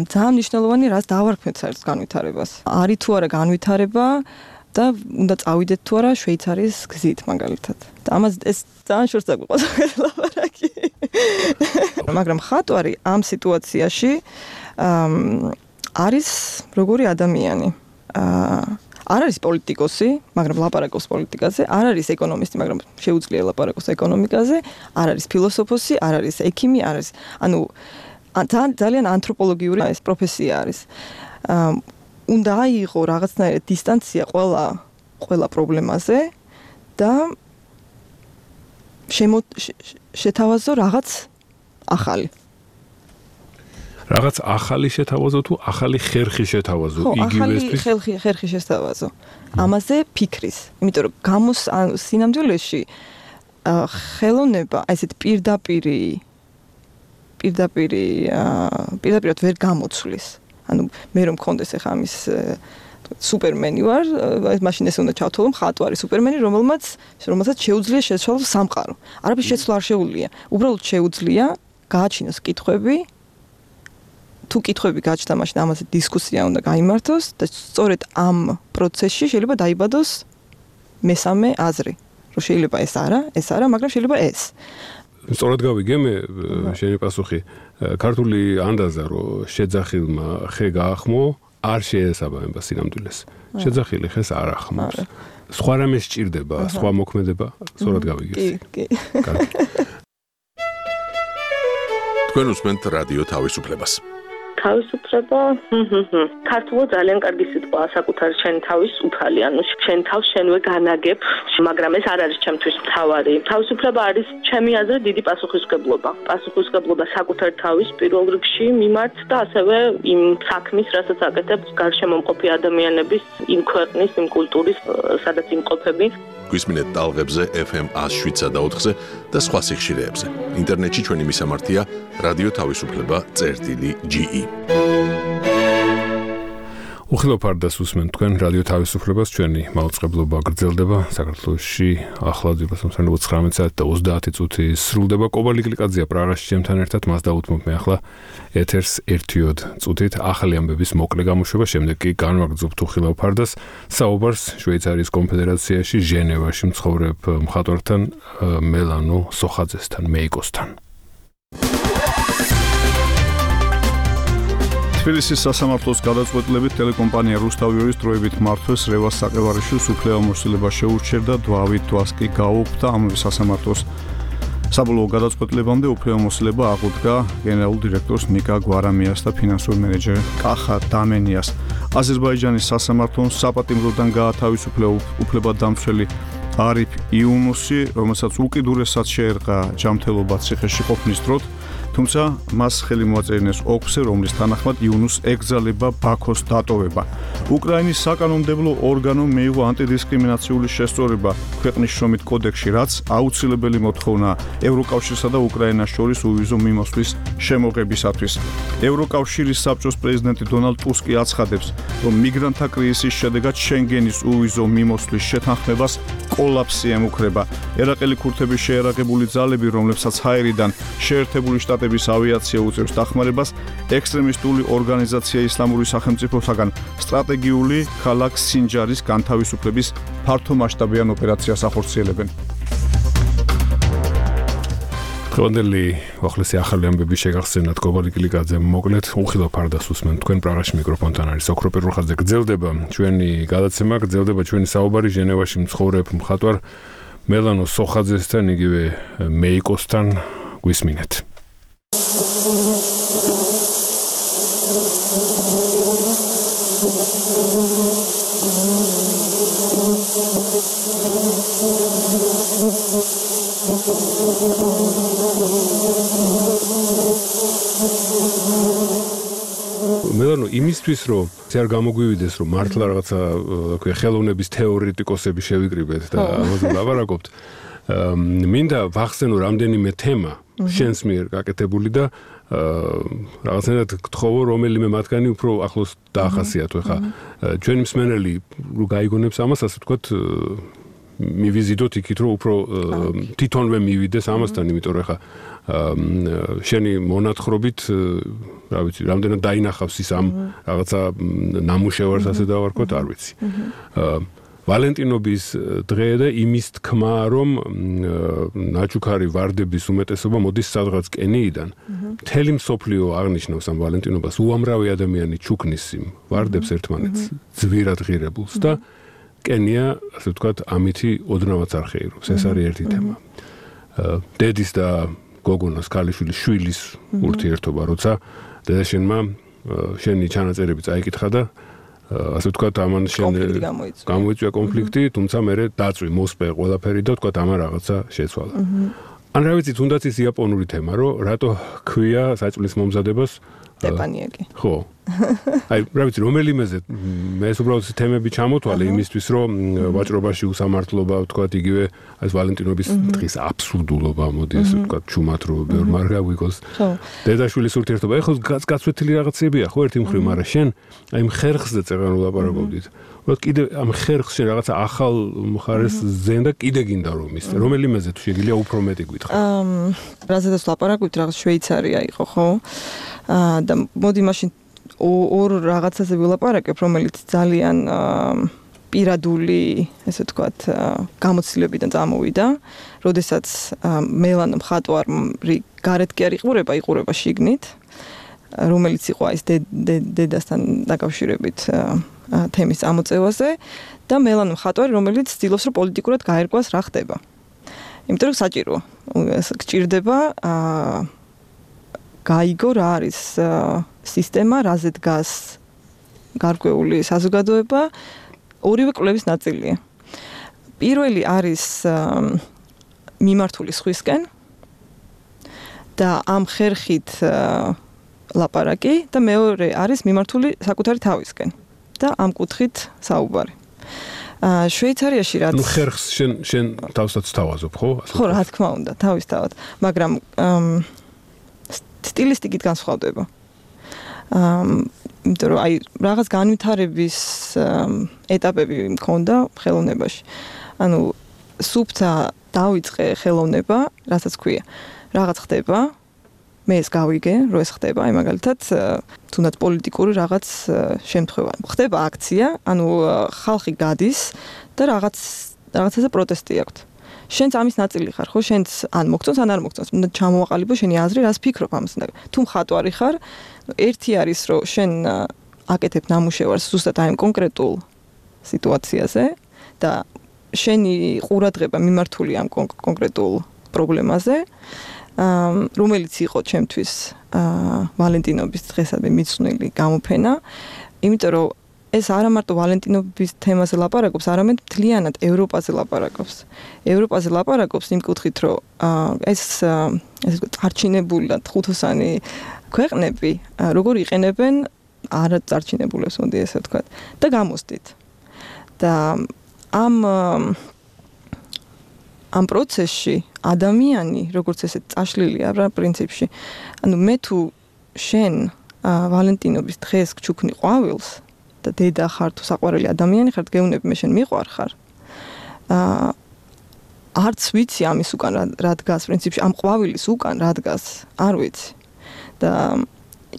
ძალიან მნიშვნელოვანი რას დავარქმევთ საერთოდ განვითარებას. არის თუ არა განვითარება და უნდა წავიდეთ თუ არა შვეიცარიის გზით მაგალითად. და ამას ეს ძალიან შორს დაგვიყვანს ლაპარაკი. მაგრამ ხატვარი ამ სიტუაციაში არის როგორი ადამიანი. არ არის პოლიტიკოსი, მაგრამ ლაპარაკობს პოლიტიკაზე, არ არის ეკონომისტი, მაგრამ შეუძლია ლაპარაკოს ეკონომიკაზე, არ არის ფილოსოფოსი, არ არის ექიმი, არ არის, ანუ ძალიან ანთროპოლოგიური ეს პროფესია არის. უნდა აიღო რაღაცნაირად დისტანცია ყველა პრობლემაზე და შეთავაზო რაღაც ახალი. რაღაც ახალი შეთავაზო თუ ახალი ხერხი შეთავაზო იგივესთვის? ახალი ხერხი შეთავაზო. ამაზე ფიქრის. იმიტომ რომ სინამდვილეში ხელოვნება ესეთ პირდაპირად ვერ გამოცვლის. ანუ მე რომ მქონდეს ახლა ამის სუპერმენი ვარ, მაშინ ეს უნდა ჩავთვალო მხატვარი სუპერმენი, რომელსაც შეუძლია შეცვალოს სამყარო. არაფრის შეცვლა არ შეუძლია. უბრალოდ შეუძლია გააჩინოს კითხვები. თუ კითხვები გაჩნდა, მაშინ ამაზე დისკუსია უნდა გაიმართოს და სწორედ ამ პროცესში შეიძლება დაიბადოს მესამე აზრი, რომ შეიძლება ეს არა, მაგრამ შეიძლება ეს. სწორად გავიგე მე შენი პასუხი. ქართული ანდაზა, რომ შეძახილმა ხე გაახმო, არ შეესაბამება სინამდვილეს. შეძახილი ხეს არ ახმობს. სხვა რამე სჭირდება, სხვა მოქმედება, სწორად გავიგე. კი. თქვენ უსმენთ რადიო თავისუფლებას. თავისუფლება, ქართულად ძალიან კარგი სიტყვაა საკუთარი შენი თავის უფალი, ანუ შენ თავს შენვე განაგებ, მაგრამ ეს არ არის ჩემთვის მთავარი. თავისუფლება არის ჩემი აზრით დიდი პასუხისმგებლობა. პასუხისმგებლობა საკუთარ თავის პირველ რიგში მიმართ და ასევე იმ საქმის, რასაც აკეთებ გარშემომყოფი ადამიანების, იმ ქვეყნის, იმ კულტურის, სადაც იმყოფები. გვისმინეთ ტალღებზე FM 107.4-ზე და სხვა სიხშირეებზე. ინტერნეტში ჩვენი მისამართია რადიო თავისუფლება.ge. უხილოფარდას უსმენ თქვენ რადიო თავისუფლებას ჩვენი მაუწყებლობა გრძელდება საქართველოში ახლა 19 საათი და 30 წუთი სრულდება კობალი გლიკაძეა პრაღაში ჩემთან ერთად მას დავუთმობ მე ახლა ეთერს 1 წუთით ახალი ამბების მოკლე გამოშვება შემდეგ კი განვაგრძობთ უხილოფარდას საუბარს შვეიცარიის კონფედერაციაში ჟენევაში მცხოვრებ მხატვართან მელანო სოხაძესთან მეიკოსთან თბილისის სასამართლოს გადაწყვეტილებით ტელეკომპანია რუსთავიორის დროებით მართვეს რევას საყევარიშვილს უფლებამოსილება შეურჩერდა დვავით თვალს კი გაუხდა ამავე სასამართლოს საბოლოო გადაწყვეტილებამდე უფლებამოსილება აღუდგა გენერალურ დირექტორს ნიკა გვარამიას და ფინანსურ მენეჯერ კახა დამენიას აზერბაიჯანის სასამართლომ საპატიმროდან გაათავისუფლა უფლებადამცველი არიფ იუნუსი რომელსაც უკიდურესად შეერყა ჯანმრთელობა ციხეში ყოფნის დროს თუმცა მას ხელი მოაწერინეს ოქზე, რომლის თანახმად იუნუს ეკრძალება ბაქოს დატოვება. უკრაინის საკანონმდებლო ორგანომ მიიღო ანტიდისკრიმინაციული შესწორება ქვეყნის შრომით კოდექსში, რაც აუცილებელი მოთხოვნაა ევროკავშირსა და უკრაინას შორის უვიზო მიმოსვლის შემოღებისათვის. ევროკავშირის საბჭოს პრეზიდენტი დონალდ ტუსკი აცხადებს, რომ მიგრანტთა კრიზისის შედეგად შენგენის უვიზო მიმოსვლის შეთანხმებას კოლაფსი ემუქრება. ერაყელი ქურთების შეერაგებული ძალები, რომლებსაც ჰაერიდან შეერთებული შტატების ავიაცია უწევს დახმარებას, ექსტრემისტული ორგანიზაცია ისლამური სახელმწიფოსაგან სტრატეგიული ქალაქ სინჯარის განთავისუფლების ფართომასშტაბიან ოპერაციას ახორციელებენ. დღევანდელი უახლესი ახალი ამბები შეგახსენათ კობალი გლიკაძე მოკლედ უხილოფარდას უსმენ თქვენ პრაღაში მიკროფონთან არის ოქრო პირველხაზზე გრძელდება ჩვენი გადაცემა გრძელდება ჩვენი საუბარი ჟენევაში მცხოვრებ მხატვარ მელანო სოხაძესთან იგივე მეიკოსთან გვისმინეთ მელანო იმისთვის რომ არ გამოგვივიდეს რომ მართლა რაღაცა ხელოვნების თეორეტიკოსები შევიკრიბეთ და ამაზე ვლაპარაკობთ მინდა ვახსენო რამდენიმე თემა შენს მიერ გაკეთებული და რაღაცნაირად გთხოვო რომელიმე მათგანი უფრო ახლოს დაახასიათო ხა ჩვენი მსმენელი რო გაიგონებს ამას ასე ვთქვათ მივიზიდოთ იქით რომ უფრო თვითონვე მივიდეს ამასთან იმიტომ რომ ხა შენი მონათხრობით რა ვიცი რამდენად დაინახავს ის ამ რაღაცა ნამუშევარს ასე დავარქვათ არ ვიცი ვალენტინობის დღე და იმის თქმა რომ ნაჩუქარი ვარდების უმეტესობა მოდის სადღაც კენიიდან მთელი მსოფლიო აღნიშნავს ამ ვალენტინობას უამრავი ადამიანი ჩუქნის იმ ვარდებს ერთმანეთს ძვირად ღირებულს და კენია ასე ვთქვათ ამითი ოდნავაც არ ხეირობს ეს არის ერთი თემა დედის და გოგონას ქალიშვილის შვილის ურთიერთობა როცა დედაშენმა შენი ჩანაწერები წაიკითხა და ასე ვთქვათ ამან გამოიწვია კონფლიქტი თუმცა მე დაწვი მოსპე ყველაფერი და ვთქვათ ამან რაღაცა შეცვალა ან რა ვიცი თუნდაც ის იაპონური თემა რომ რატო ქვია საჭმლის მომზადებას ტეპანიაკი ხო აი რა ვიცი რომელიმეზე მე უბრალოდ თემები ჩამოთვალე იმისთვის რომ ვაჭრობაში უსამართლობა ვთქვათ იგივე ეს ვალენტინობის დღის აბსურდულობა მოდი ასე ვთქვათ ჩუმად რომ ბევრ მარგა ვიგოს დედაშვილის ურთიერთობა ეხლა გაცვეთილი რაღაცებია ხო ერთი მხრივ მაგრამ შენ აი ხერხზე წერან ვლაპარაკობდით რომ კიდე ამ ხერხში რაღაცა ახალ მხარეს ზენ და კიდე გინდა რომ ის რომელიმეზე თუ შეგიძლია უფრო მეტი გითხრა რაზედაც ვლაპარაკობთ რაღაც შვეიცარია იყო ხო და მოდი მაშინ ორ რაღაცაზე ვილაპარაკებ, რომელიც ძალიან პირადული, ესე ვთქვათ, გამოცდილებიდან წამოვიდა, როდესაც მელანო მხატვარი გარეთ კი არ იყურება შიგნით, რომელიც იყო ეს დედასთან დაკავშირებით თემის წამოწევაზე და მელანო მხატვარი, რომელიც ცდილობს რომ პოლიტიკურად გაერკვას რა ხდება. იმიტომ რომ საჭიროა, გჭირდება გაიგო რა არის სისტემა, რაზე დგას გარკვეული საზოგადოება, ორივე კვლევის ნაწილია. პირველი არის მიმართული სხვისკენ და ამ ხერხით ლაპარაკი და მეორე არის მიმართული საკუთარი თავისკენ და ამ კუთხით საუბარი. შვეიცარიაში რაც ნუ ხერხს შენ თავსაც თავაზობ, ხო? ხო, რა თქმა უნდა, თავისთავად, მაგრამ სტილისტიკით განსხვავდება. იმიტომ რომ აი რაღაც განვითარების ეტაპები მქონდა ხელოვნებაში. ანუ სუფთა დავიწყე ხელოვნება, რასაც ქვია. რაღაც ხდება, მე ეს გავიგე, რომ ეს ხდება, აი მაგალითად, თუნდაც პოლიტიკური რაღაც შემთხვევა. ხდება აქცია, ანუ ხალხი გადის და რაღაცაზე პროტესტი აქვს. შენც ამის ნაწილი ხარ, ხო? შენც ან მოგწონს, ან არ მოგწონს. უნდა ჩამოვაყალიბო შენი აზრი, რას ფიქრობ ამას. თუ მხატვარი ხარ, ერთი არის, რომ შენ აკეთებ ნამუშევარს ზუსტად აი კონკრეტულ სიტუაციაზე და შენი ყურადღება მიმართულია ამ კონკრეტულ პრობლემაზე, რომელიც იყო ჩემთვის ვალენტინობის დღესადმე მიძღვნილი გამოფენა, იმიტომ რომ ეს არა მარტო ვალენტინობის თემაზე ლაპარაკობს, არამედ მთლიანად ევროპაზე ლაპარაკობს. ევროპაზე ლაპარაკობს იმ კუთხით, რომ ეს ესე ვთქვათ, წარჩინებულად ხუთოსანი ქვეყნები როგორ იყენებენ არა წარჩინებულებს, მოდი ესე ვთქვათ, და გამოსდით. და ამ პროცესში ადამიანი, როგორც ესე წაშლილია რა პრინციპში, ანუ მე თუ შენ ვალენტინობის დღეს გჩუქნი ყვავილს და დედა ხარ თუ საყვარელი ადამიანი ხარ, გეუბნები მე შენ მიყვარ ხარ. არც ვიცი ამის უკან რა დგას პრინციპში, ამ ყვავილის უკან რა დგას, არ ვიცი. და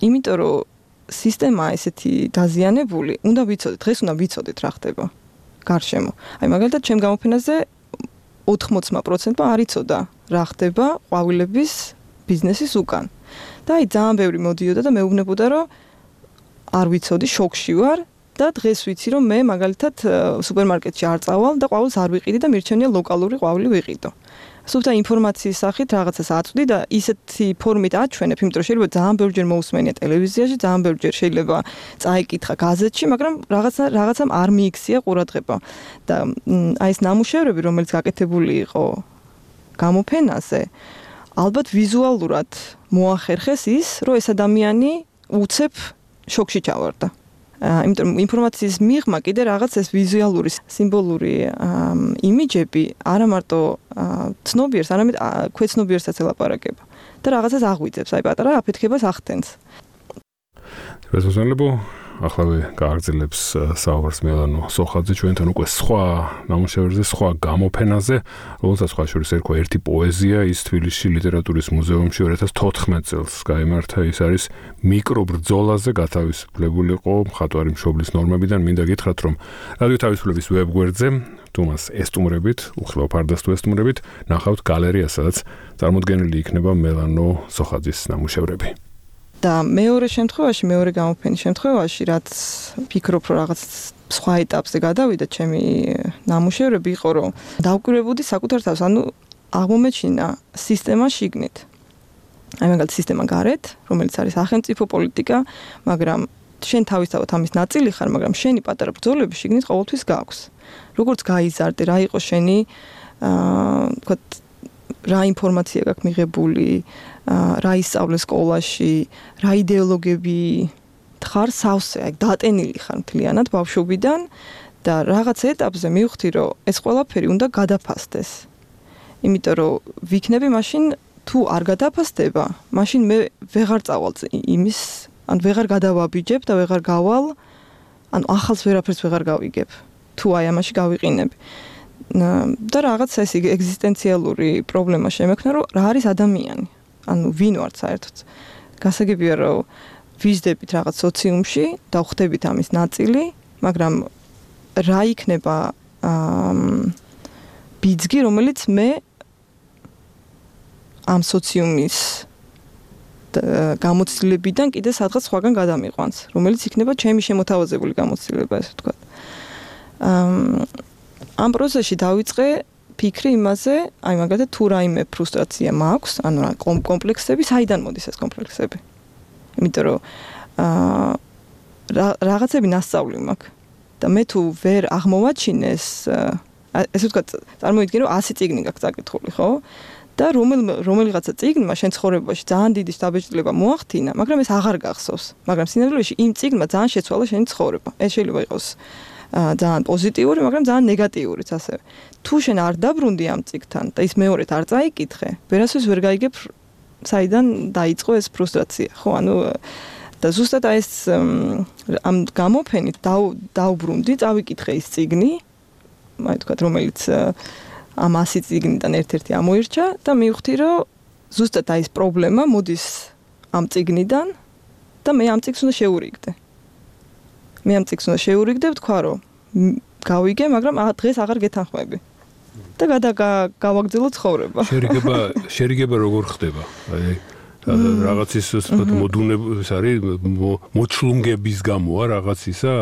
იმიტომ რომ სისტემა ესეთი დაზიანებული, უნდა ვიცოდეთ, დღეს უნდა ვიცოდეთ რა ხდება გარშემო. აი მაგალითად ჩემ გამოფენაზე 80% არ იცოდა რა ხდება ყვავილების ბიზნესის უკან. და აი ძალიან ბევრი მოდიოდა და მეუბნებოდა რომ არ ვიცოდი, შოკში ვარ და დღეს ვიცი რომ მე მაგალითად სუპერმარკეტში არ წავალ და ყვავილს არ ვიყიდი და მირჩენია ლოკალური ყვავილი ვიყიდო. სუფთა ინფორმაციის სახით რაღაცას აწვდი და ისეთი ფორმით აჩვენებ, იმიტომ რომ შეიძლება ძალიან ბევრჯერ მოусმენია ტელევიზიაში, ძალიან ბევრჯერ შეიძლება წაიკითხა გაზეთში, მაგრამ რაღაცამ არ მიიქცია ყურადღება. და აი ეს ნამუშევრები, რომელიც გაკეთებული იყო გამოფენაზე, ალბათ ვიზუალურად მოახერხეს ის, რომ ეს ადამიანი უცებ შოკში ჩავარდა. იმიტომ რომ ინფორმაციის მიღმა კიდე რაღაც ეს ვიზუალური, სიმბოლური იმიჯები არა მარტო ცნობიერს, არამედ ქვეცნობიერსაც ელაპარაკება და რაღაცას აღვიძებს, აი პატარა აფეთქებას ახდენს. რეზონანსებო ახლა გააგრძელებს საუბარს მელანო სოხაძე ჩვენთან უკვე სხვა ნამუშევრებზე, სხვა გამოფენაზე, რომელსაც სხვა შორის ერქვა ერთი პოეზია, ის თბილისში ლიტერატურის მუზეუმში 2014 წელს გაიმართა, ის არის მიკრობრძოლაზე გათავისუფლებული იყო მხატვარი მშობლის ნორმებიდან. მინდა გითხრათ, რომ რადიო თავისუფლების ვებგვერდზე თუ მას ესტუმრებით, უხილავ ფარდას თუ ესტუმრებით, ნახავთ გალერეას, სადაც წარმოდგენილი იქნება მელანო სოხაძის ნამუშევრები. და მეორე გამოფენის შემთხვევაში, რაც ფიქრობ, რომ რაღაც სხვა ეტაპზე გადავიდა ჩემი ნამუშევრები, იყო რომ დავკვირვებოდი საკუთარ თავს, ანუ აღმომეჩინა სისტემა შიგნით. აი მაგალითად სისტემა გარეთ, რომელიც არის სახელმწიფო პოლიტიკა, მაგრამ შენ თავისთავად ამის ნაწილი ხარ, მაგრამ შენი პატარა ბრძოლები შიგნით ყოველთვის გაქვს. როგორც გაიზარდე, რა იყო შენი თქვა რა ინფორმაცია გაქვს მიღებული, რა ისწავლე სკოლაში, რა იდეოლოგები ხარ სავსე, აი დატენილი ხარ მთლიანად ბავშვობიდან და რაღაც ეტაპზე მივხვდი, რომ ეს ყველაფერი უნდა გადაფასდეს. იმიტომ რომ ვიქნები მაშინ თუ არ გადაფასდება, მაშინ მე ვეღარ წავალ იმის, ან ვეღარ გადავაბიჯებ და ვეღარ გავალ, ან ახალს ვერაფერს ვეღარ გავიგებ, თუ აი ამაში გავიყინები. და რაღაც ეს ეგზისტენციალური პრობლემა შემექნა, რომ რა არის ადამიანი. ანუ ვინ ვართ საერთოდ. გასაგებია რომ ვიზდებით რაღაც სოციუმში და ვხდებით ამის ნაწილი, მაგრამ რა იქნება ბიძგი, რომელიც მე ამ სოციუმის გამოცდილებიდან კიდე სადღაც სხვაგან გადამიყვანს, რომელიც იქნება ჩემი შემოთავაზებული გამოცდილება, ესე ვთქვათ. ამ პროცესში დავიწყე ფიქრი იმაზე, აი მაგალითად თუ რაიმე ფრუსტრაცია მაქვს, ანუ რა კომპლექსები, საიდან მოდის ეს კომპლექსები? იმიტომ რომ რაღაცები ნასწავლი მაქვს და მე თუ ვერ აღმოვაჩინეს, ესე ვთქვათ, წარმოიდგინე რომ 100 წიგნი გაქვს წაკითხული, ხო? და რომელიღაცა წიგნმა შენ ცხოვრებაში ძალიან დიდი შთაბეჭდილება მოახდინა, მაგრამ ეს აღარ გახსოვს. მაგრამ სინამდვილეში იმ წიგნმა ძალიან შეცვალა შენი ცხოვრება. ეს შეიძლება იყოს ძალიან პოზიტიური, მაგრამ ძალიან ნეგატიურიც ასევე. თუ შენ არ დაბრუნდი ამ წიგნთან და ის მეორედ არ წაიკითხე, ვერასდროს ვერ გაიგებ საიდან დაიწყო ეს ფრუსტრაცია, ხო? ანუ და ზუსტად აი ეს ამ გამოფენით დაუბრუნდი, წავიკითხე ის წიგნი, აი თქვა რომელიც ამ 100 წიგნიდან ერთ-ერთი ამოირჩა და მივხვდი რომ ზუსტად აი ეს პრობლემა მოდის ამ წიგნიდან და მე ამ წიგნს უნდა შევურიგდე. მე ამ წიგნს უნდა შევურიგდე, ვთქვა რომ გავიგე, მაგრამ დღეს აღარ გეთანხმები. და გავაგრძელო ცხოვრება. შერიგება როგორ ხდება? აი რაღაცის მოდუნების არის მოჩლუნგების გამოა რაღაცისა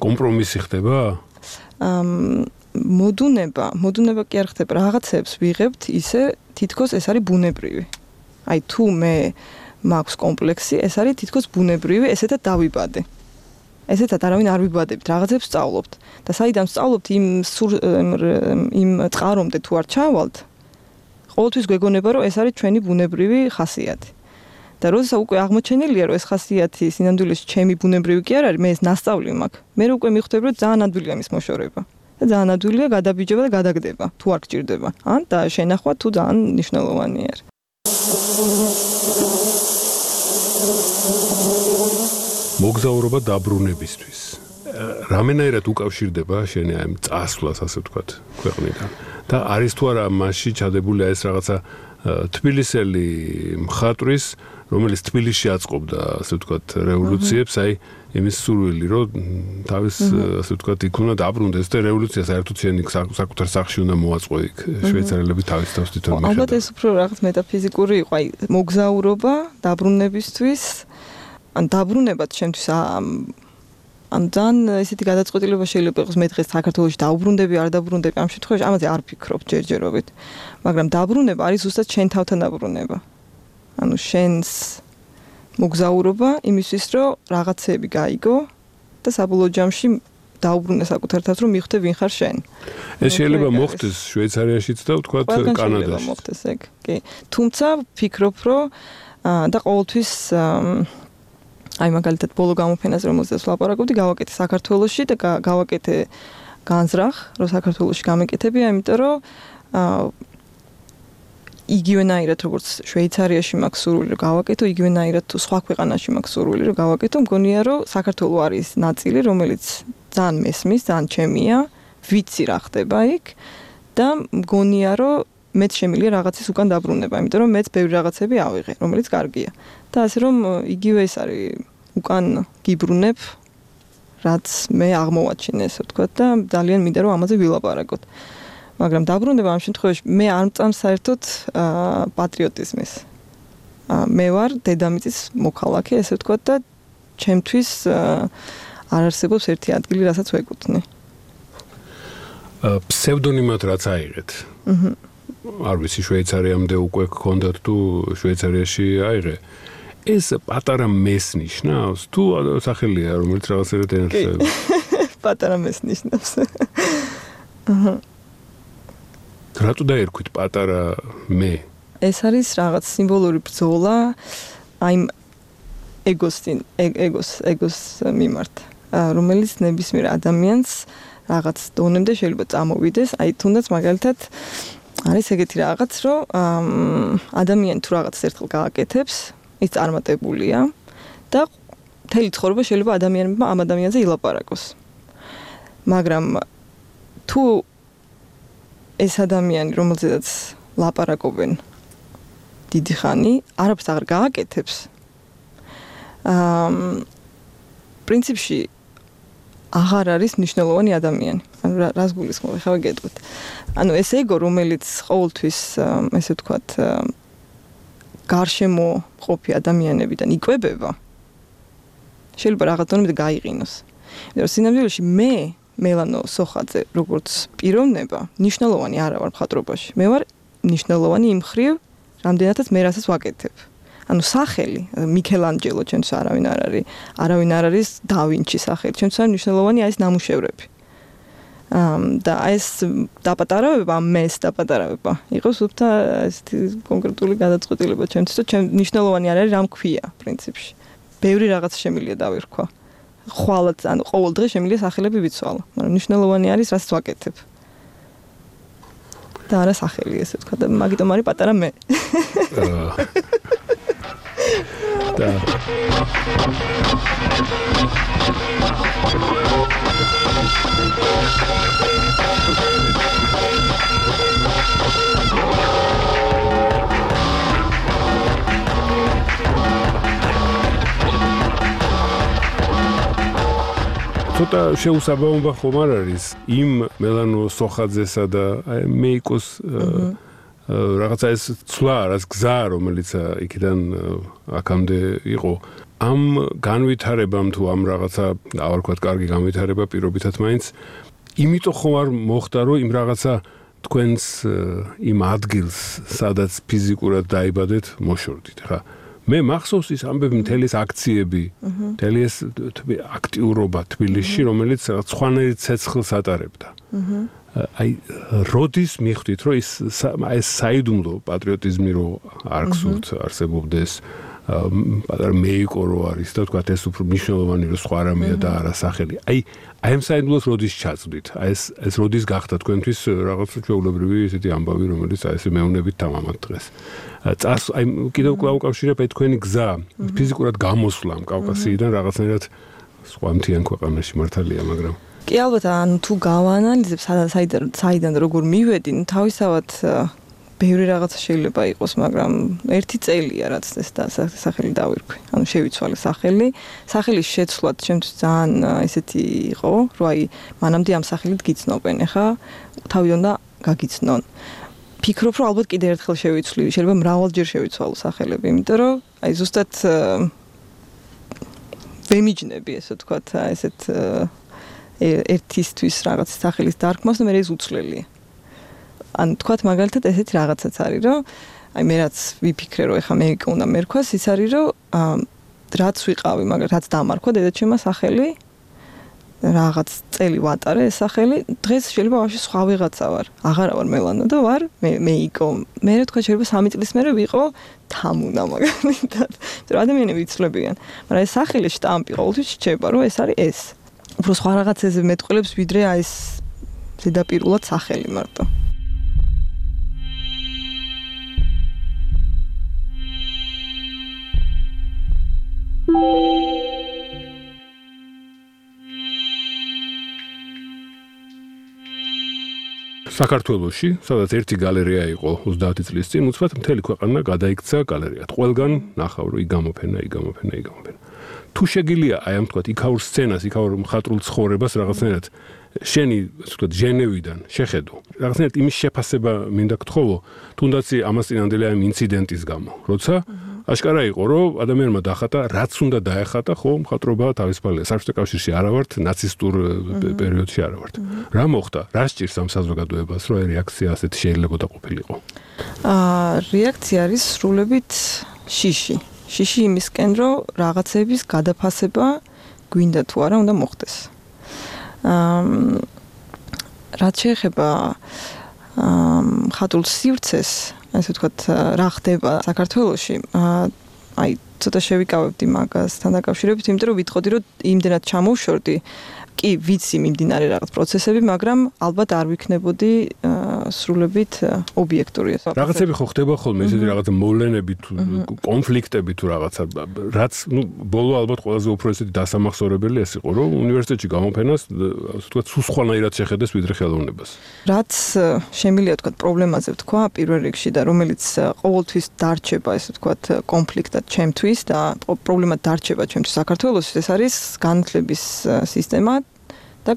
კომპრომისი ხდება? მოდუნება კი არ ხდება, რაღაცებს ვიღებთ ისე თითქოს ეს არის ბუნებრივი. აი თუ მე მაქვს კომპლექსი, ეს არის თითქოს ბუნებრივი, ესეთა დავიბადე. ესეთა არავინ არ ვიბადებთ, რაღაცებს სწავლობთ და საიდან სწავლობთ იმ წყარომდე თუ არ ჩავალთ, ყოველთვის გვეგონება რომ ეს არის ჩვენი ბუნებრივი ხასიათი. და როდესაც უკვე აღმოჩენილია რომ ეს ხასიათი სინამდვილეში ჩემი ბუნებრივი კი არ არის, მე ეს ნასწავლი მაქვს. მე უკვე მივხვდები რომ ძალიან ადვილია მის მოშორება. და ძალიან ადვილია გადაბიჯება და გადაგდება, თუ არ გჭირდება. ან და შენახვა თუ ძალიან მნიშვნელოვანი არის. მოგზაურობა დაბრუნებისთვის. რამენაირად უკავშირდება შენი აი წასვლას, ასე ვთქვათ, ქვეყნიდან. და არის თუ არა მასში ჩადებული ეს რაღაცა თბილისელი მხატვრის, რომელიც თბილისში აწყობდა, ასე ვთქვათ, რევოლუციებს, აი იმის სურვილი, რომ თავის, ასე ვთქვათ, იქ უნდა დაბრუნდეს და რევოლუცია საერთოდ შენი საკუთარ სახლში უნდა მოაწყო იქ შვეიცარიელები თავის თავს თვითონ მიხედავენ. ალბათ ეს უფრო რაღაც მეტაფიზიკური იყო, აი მოგზაურობა დაბრუნებისთვის, ან დაბრუნებაც შემთთვის ამ ძალიან ესეთი გადაწყვეტილება შეიძლება იყოს მე დღეს საქართველოში დაუბრუნდები, არ დაუბრუნდები, ამ შემთხვევაში ამაზე არ ფიქრობ ჯერჯერობით. მაგრამ დაბრუნება არის ზუსტად შენ თავთან დაბრუნება. ანუ შენს მოგზაურობა იმისთვის, რომ რაღაცები გაიგო და საბოლოო ჯამში დაუბრუნე საკუთარ თავს, რომ მიხვდე ვინ ხარ შენ. ეს შეიძლება მოხდეს შვეიცარიაშიც და ვთქვათ კანადაში. მოხდეს ეგ. კი. თუმცა ფიქრობ, რომ და ყოველთვის აი მაგალითად ბოლო გამოფენაზე რომელზეც ვლაპარაკობდი, გავაკეთე საქართველოში და გავაკეთე განზრახ, რომ საქართველოში გამეკეთებია, იმიტომ რომ იგივენაირად როგორც შვეიცარიაში მაქვს სურვილი რომ გავაკეთო, იგივენაირად თუ სხვა ქვეყანაში მაქვს სურვილი რომ გავაკეთო, მგონია რომ საქართველო არის ნაწილი, რომელიც ძალიან მესმის, ძალიან ჩემია, ვიცი რა ხდება იქ და მგონია რომ მეც შემიძლია რაღაცის უკან დაბრუნება, იმიტომ რომ მეც ბევრი რაღაცები ავიღე, რომელიც კარგია. და ასე რომ იგივე ეს არის უკან გიბრუნებ, რაც მე აღმოვაჩინე, ესე ვთქვათ და ძალიან მინდა რომ ამაზე ვილაპარაკოთ. მაგრამ დაბრუნება ამ შემთხვევაში მე არ მწამს საერთოდ პატრიოტიზმის. მე ვარ დედამიწის მოქალაქე, ესე ვთქვათ და ჩემთვის არ არსებობს ერთი ადგილი, რასაც ვეკუთვნი. ფსევდონიმად რაც აიღეთ. არ ვიცი შვეიცარიამდე უკვე გქონდათ თუ შვეიცარიაში აიღე. ეს პატარა მეს ნიშნავს თუ სახელია რომელიც რაღაცერად ენათესავება? პატარა მეს ნიშნავს. რატო დაერქვით პატარა მე? ეს არის რაღაც სიმბოლური ბრძოლა აი ეგოს მიმართ, რომელიც ნებისმიერ ადამიანს რაღაც დონემდე შეიძლება წამოვიდეს, აი თუნდაც მაგალითად არის ეგეთი რაღაც, რომ ადამიანი თუ რაღაც ერთხელ გააკეთებს, ის წარმატებულია და მთელი ცხოვრება შეიძლება ადამიანებმა ამ ადამიანზე ილაპარაკოს. მაგრამ თუ ეს ადამიანი, რომელზედაც ლაპარაკობენ დიდი ხანი, არაფერს აღარ გააკეთებს, პრინციპში აღარ არის მნიშვნელოვანი ადამიანი. ანუ რას გულისხმობ, ხა გეტყვით. ანუ ეს ეგო, რომელიც ყოველთვის, ესე ვთქვათ, გარშემო ყოფი ადამიანებიდან იკვებება, შეიძლება რაღაც დონემდე გაიყინოს. იმიტომ რომ სინამდვილეში მე მელანო სოხაძე, როგორც პიროვნება, მნიშვნელოვანი არა ვარ მხატვრობაში. მე ვარ მნიშვნელოვანი იმ ხრივ, რამდენადაც მე რასაც ვაკეთებ. ანუ სახელი, მიქელანჯელო ჩვენს არავინ არ არის და ვინჩი სახელი, ჩვენს არის მნიშვნელოვანი ეს ნამუშევრები. და ეს დაპატარავება, მეს დაპატარავება, იყოს უბრალოდ ესეთი კონკრეტული გადაწყვეტილება ჩვენთვის, და მნიშვნელოვანი არ არის რამ ქვია პრინციპში. ბევრი რაღაც შემიძლია დავირქვა. ხვალაც, ანუ ყოველ დღე შემიძლია სახელები ვიცვალო, მაგრამ მნიშვნელოვანი არის რასაც ვაკეთებ. და არა სახელი, ესე ვთქვა, და მაგიტომ არის პატარა მე. და ცოტა შეუსაბამობა ხომ არ არის იმ მელანო სოხაძესა და მეიკოს რაღაცა ეს ცვლა რაც გზა რომელიც იქიდან აქამდე იყო ამ განვითარებამ თუ ამ რაღაცა არ ვქოთ კარგი განვითარება პირობითად მაინც იმიტომ ხომ არ მოხდა რომ იმ რაღაცა თქვენს იმ ადგილს სადაც ფიზიკურად დაიბადეთ მოშორდით ხა მე მახსოვს ის ამბები მთელი ეს აქციები მთელი ეს აქტიურობა თბილისში რომელიც სხვანაირ ცეცხლს ატარებდა აი როდის მიხვდით რომ ეს საიდუმლო პატრიოტიზმი რო არ გსურთ არსებობდეს პატარა მეიკო რო არის და თქვა ეს უფრო მნიშვნელოვანი რო სხვა რამეა და არა სახელი აი ამ საიდუმლოს როდის ჩაწვდით აი ეს როდის გახდა თქვენთვის რაღაცა ჩვეულებრივი ესეთი ამბავი რომელიც აი ესე მეუნებით თამამად დღეს აი კიდევ კვლავ უკავშირებ აი თქვენი გზა ფიზიკურად გამოსვლა ამ კავკასიიდან რაღაცნაირად სხვა მთიან ქვეყანაში მართალია მაგრამ კი ალბათ ანუ თუ გავაანალიზებ საიდან როგორ მივედი თავისთავად ბევრი რაღაცა შეიძლება იყოს მაგრამ ერთი წელია რაც ეს სახელი დავირქვი ანუ შევიცვალე სახელის შეცვლად ჩემთვის ძალიან ესეთი იყო რომ აი მანამდე ამ სახელით გიცნობენ ეხა თავიდან და გაგიცნონ ფიქრობ რომ ალბათ კიდევ ერთხელ შევიცვლი შეიძლება მრავალჯერ შევიცვალო სახელები იმიტომ რომ აი ზუსტად ვემიჯნები ესე ვთქვათ ესეთ ერთისთვის რაღაც სახელის დარქმას და მე ეს უცვლელია ან თქვათ მაგალითად ესეთი რაღაცაც არის რომ აი მე რაც ვიფიქრე რომ ეხა მე უნდა მერქვას ის არის რომ რაც ვიყავი მაგრამ რაც დამარქვა დედაჩემმა სახელი რაღაც წელი ვატარე ეს სახელი დღეს შეიძლება ვაფშე სხვა ვიღაცა ვარ აღარა ვარ მელანა და ვარ მეიკო მე თქვა შეიძლება 3 წლის მერე ვიყო თამუნა მაგალითად რომ ადამიანები იცვლებიან მაგრამ ეს სახელი შტამპი ყოველთვის რჩება რომ ეს არის ეს უფრო სხვა რაღაცებზე მეტყველებს ვიდრე აი ეს ზედაპირულად სახელი მარტო საქართველოში, სადაც ერთი გალერეა იყო 30 წლის წინ, უცბად მთელი ქვეყანა გადაიქცა გალერეად. ყველგან ნახავ რომ იგამოფენა. თუ შეგიძლია აი ამ თქვათ იქაურ სცენას, იქაურ მხატვრულ ცხოვრებას რაღაცნაირად შენი, ასე ვთქვათ, ჟენევიდან შეხედო. რაღაცნაირად იმის შეფასება მინდა გთხოვო, თუნდაც ამას წინანდელი ამ ინციდენტის გამო, როცა აშკარა იყო, რომ ადამიანმა დახატა, რაც უნდა დაეხატა, ხო, მხატვრობა თავისუფალია. საბჭოთა კავშირში არა ვართ, ნაცისტურ პერიოდში არა ვართ. რა მოხდა? რა სჭირს ამ საზოგადოებას, რომ აი რეაქცია ასეთი შეიძლება ყოფილიყო? რეაქცია არის სრულებით შიში. შიში იმისკენ, რომ რაღაცების გადაფასება გვინდა თუ არა უნდა მოხდეს. რაც შეეხება მხატვრულ სივრცეს, ასე ვთქვათ, რა ხდება საქართველოში, აი ცოტა შევიკავებდი მაგასთან დაკავშირებით, იმიტომ რომ ვიტყოდი, რომ იმდენად ჩამოვშორდი, კი ვიცი მიმდინარე რაღაც პროცესები, მაგრამ ალბათ არ ვიქნებოდი სრულებით ობიექტური. რაღაცები ხო ხდება ხოლმე, ესეთი რაღაცა მოვლენები თუ კონფლიქტები თუ რაღაცა, რაც ბოლო ალბათ ყველაზე უფრო ესეთი დასამახსოვრებელი ეს იყო, რომ უნივერსიტეტში გამოფენას, ასე ვთქვათ, სულ სხვანაირად შეხედეს ვიდრე ხელოვნებას. რაც შემიძლია ვთქვათ პრობლემაზე ვთქვა პირველ რიგში და რომელიც ყოველთვის დარჩება, ესე ვთქვათ, კონფლიქტად ჩემთვის და პრობლემად დარჩება ჩემთვის საქართველოში, ეს არის განათლების სისტემა და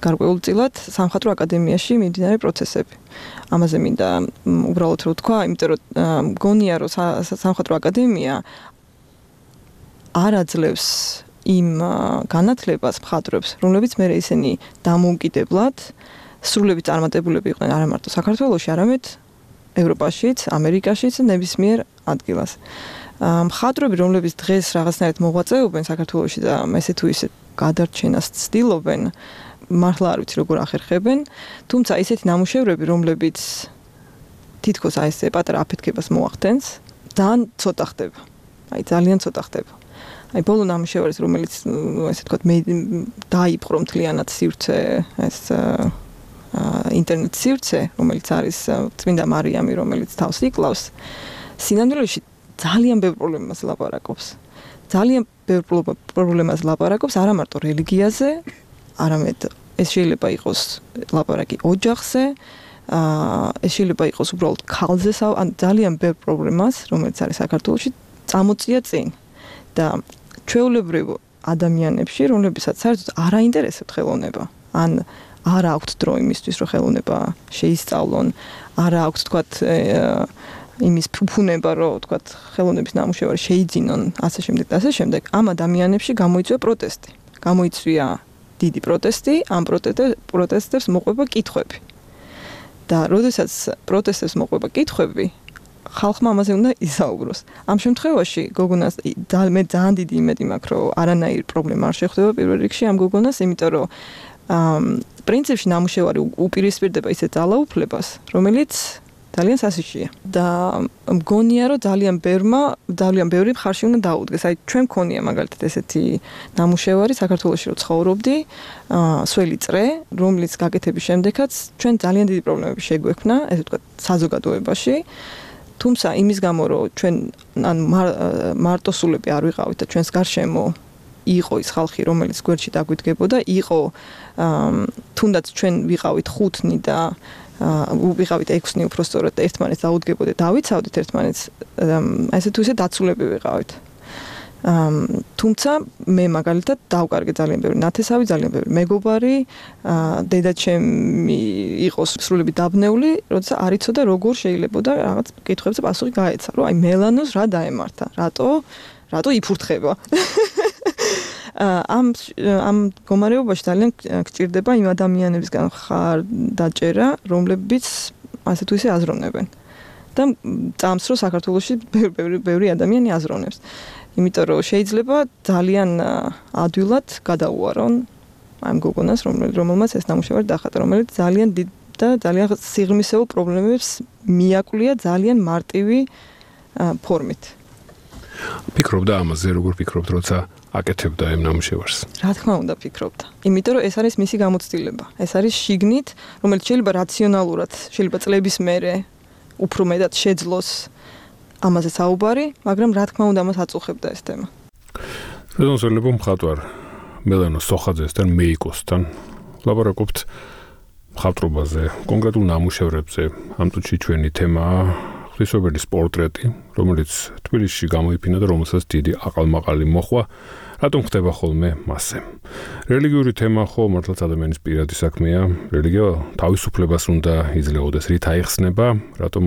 გარკვეულწილად სამხატვრო აკადემიაში მიმდინარე პროცესები. ამაზე მინდა უბრალოდ რომ ვთქვა, იმიტომ რომ მგონია რომ სამხატვრო აკადემია არ აძლევს იმ განათლებას მხატვრებს, რომლებიც მე ისინი დამოუკიდებლად სრულებით წარმატებულები იყვნენ არა მარტო საქართველოში, არამედ ევროპაშიც, ამერიკაშიც და ნებისმიერ ადგილას. მხატვრები, რომლებიც დღეს რაღაცნაირად მოღვაწეობენ საქართველოში და ესე თუ ისე გადარჩენას ცდილობენ, მართლა არ ვიცი როგორ ახერხებენ, თუმცა ისეთი ნამუშევრები, რომლებიც თითქოს აი ესე პატარა აფეთქებას მოახდენს, ძალიან ცოტა ხდება. აი ძალიან ცოტა ხდება. აი ბოლო ნამუშევარი, რომელიც ესე ვთქვათ, მე დაიპყრო მთლიანად სივრცე, ეს ინტერნეტ სივრცე, რომელიც არის წმინდა მარიამი, რომელიც თავს იკლავს, სინამდვილეში ძალიან ბევრ პრობლემას ლაპარაკობს. ძალიან ბევრ პრობლემას ლაპარაკობს არა მარტო რელიგიაზე, არამედ ეს შეიძლება იყოს ლაპარაკი ოჯახზე, ეს შეიძლება იყოს უბრალოდ ქალზე, ან ძალიან ბევრ პრობლემას, რომელიც არის საქართველოში, წამოწია წინ. და ჩვეულებრივ ადამიანებში, რომლებსაც საერთოდ არ აინტერესებთ ხელოვნება, ან არ აქვთ დრო იმისთვის, რომ ხელოვნება შეისწავლონ, არ აქვთ თქვათ იმის ფუფუნება, რომ თქვათ ხელოვნების ნამუშევარი შეიძინონ, ასე შემდეგ და ასე შემდეგ, ამ ადამიანებში გამოიწვია პროტესტი. გამოიწვია დიდი პროტესტი, ამ პროტესტებს მოყვება კითხვები. და როდესაც პროტესტებს მოყვება კითხვები, ხალხმა ამაზე უნდა ისაუბროს. ამ შემთხვევაში გოგონას მე ძალიან დიდი იმედი მაქვს, რომ არანაირი პრობლემა არ შეხვდება პირველ რიგში ამ გოგონას, იმიტომ რომ პრინციპში ნამუშევარი უპირისპირდება ისეთ ძალაუფლებას, რომელიც ძალიან სასიშია. და მგონია, რომ ძალიან ბევრი მხარში უნდა დაუდგეს. აი ჩვენ მქონია მაგალითად ესეთი ნამუშევარი საქართველოში რო ცხოვრობდი, სველი წრე, რომლის გაკეთების შემდეგაც ჩვენ ძალიან დიდი პრობლემები შეგვექმნა, ესე ვთქვათ, საზოგადოებაში. თუმცა იმის გამო, რომ ჩვენ ან მარტოსულები არ ვიყავით და ჩვენს გარშემო იყო ის ხალხი, რომელიც გვერდში დაგვიდგებოდა, იყო თუნდაც ჩვენ ვიყავით 5 და ვიყავით 6 უпростоრად და ერთმანეთს დაუდგებოდით, დავიცავდით ერთმანეთს, ესე თუ ისე დაცულები ვიყავით. თუმცა მე მაგალითად დავკარგე ძალიან ბევრი ნათესავი, ძალიან ბევრი მეგობარი, დედაჩემი იყო სრულები დაბნეული, როცა არ იცოდა როგორ შეიძლება და რაღაც კითხვებზე პასუხი გაეცა, რომ აი მელანოს რა დაემართა, რატო იფურთხება. ამ მდგომარეობაში ძალიან გჭირდება იმ ადამიანებისგან ხარდაჭერა, რომლებიც ასე თუ ისე აზროვნებენ. და წამს რომ საქართველოში ბევრი ადამიანი აზროვნებს. იმიტომ რომ შეიძლება ძალიან ადვილად გადაუარონ ამ გოგონას, რომელმაც ეს ნამუშევარი დახატა, რომელიც ძალიან დიდ და ძალიან სიღრმისეულ პრობლემებს მიაკვლია ძალიან მარტივი ფორმით. ფიქრობდა ამაზე, როგორ ფიქრობთ, როცა აკეთებდა ამ ნამუშევარს? რა თქმა უნდა ფიქრობდა. იმიტომ რომ ეს არის მისი გამოცდილება. ეს არის შიგნით, რომელიც შეიძლება რაციონალურად, შეიძლება წლების მერე უფრო მეტად შეძლოს ამაზე საუბარი, მაგრამ რა თქმა უნდა ამას აწუხებდა ეს თემა. რედონსელებ მხატვარ მელანო სოხაძესთან, მეიკოსთან ლაპარაკობთ მხატვრობაზე, კონკრეტულ ნამუშევრებზე. ამ წუთში ჩვენი თემაა ღვთისმშობელის პორტრეტი, რომელიც თბილისში გამოიფინა და რომელსაც დიდი აყალმაყალი მოჰყვა. რატომ ხდება ხოლმე მასზე? რელიგიური თემა ხო მართლაც ადამიანის პირადი საქმეა. რელიგია თავისუფლებას უნდა იძლეოდეს, რით აიხსნება, რატომ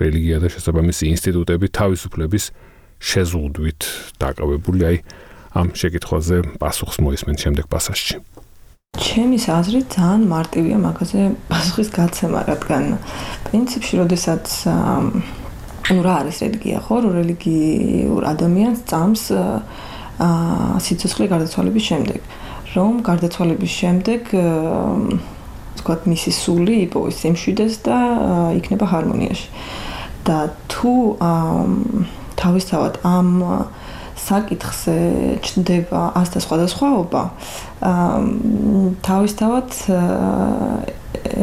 რელიგია და შესაბამისი ინსტიტუტები თავისუფლების შეზღუდვით დაკავებული. აი ამ შეკითხვაზე პასუხს მოისმენთ შემდეგ პასაჟში. ჩემის აზრით ძალიან მარტივია მაგაზე პასუხის გაცემა, რადგან პრინციპში, როდესაც რა არის რელიგია, ხო, რომ რელიგიურ ადამიანს წამს სიცოცხლე გარდაცვალების შემდეგ, რომ გარდაცვალების შემდეგ თქვათ მისი სული იპოვის სიმშვიდეს და იქნება ჰარმონიაში. და თუ თავისთავად ამ საკითხზე ჩნდება ასთა სხვადასხვაობა, თავისთავად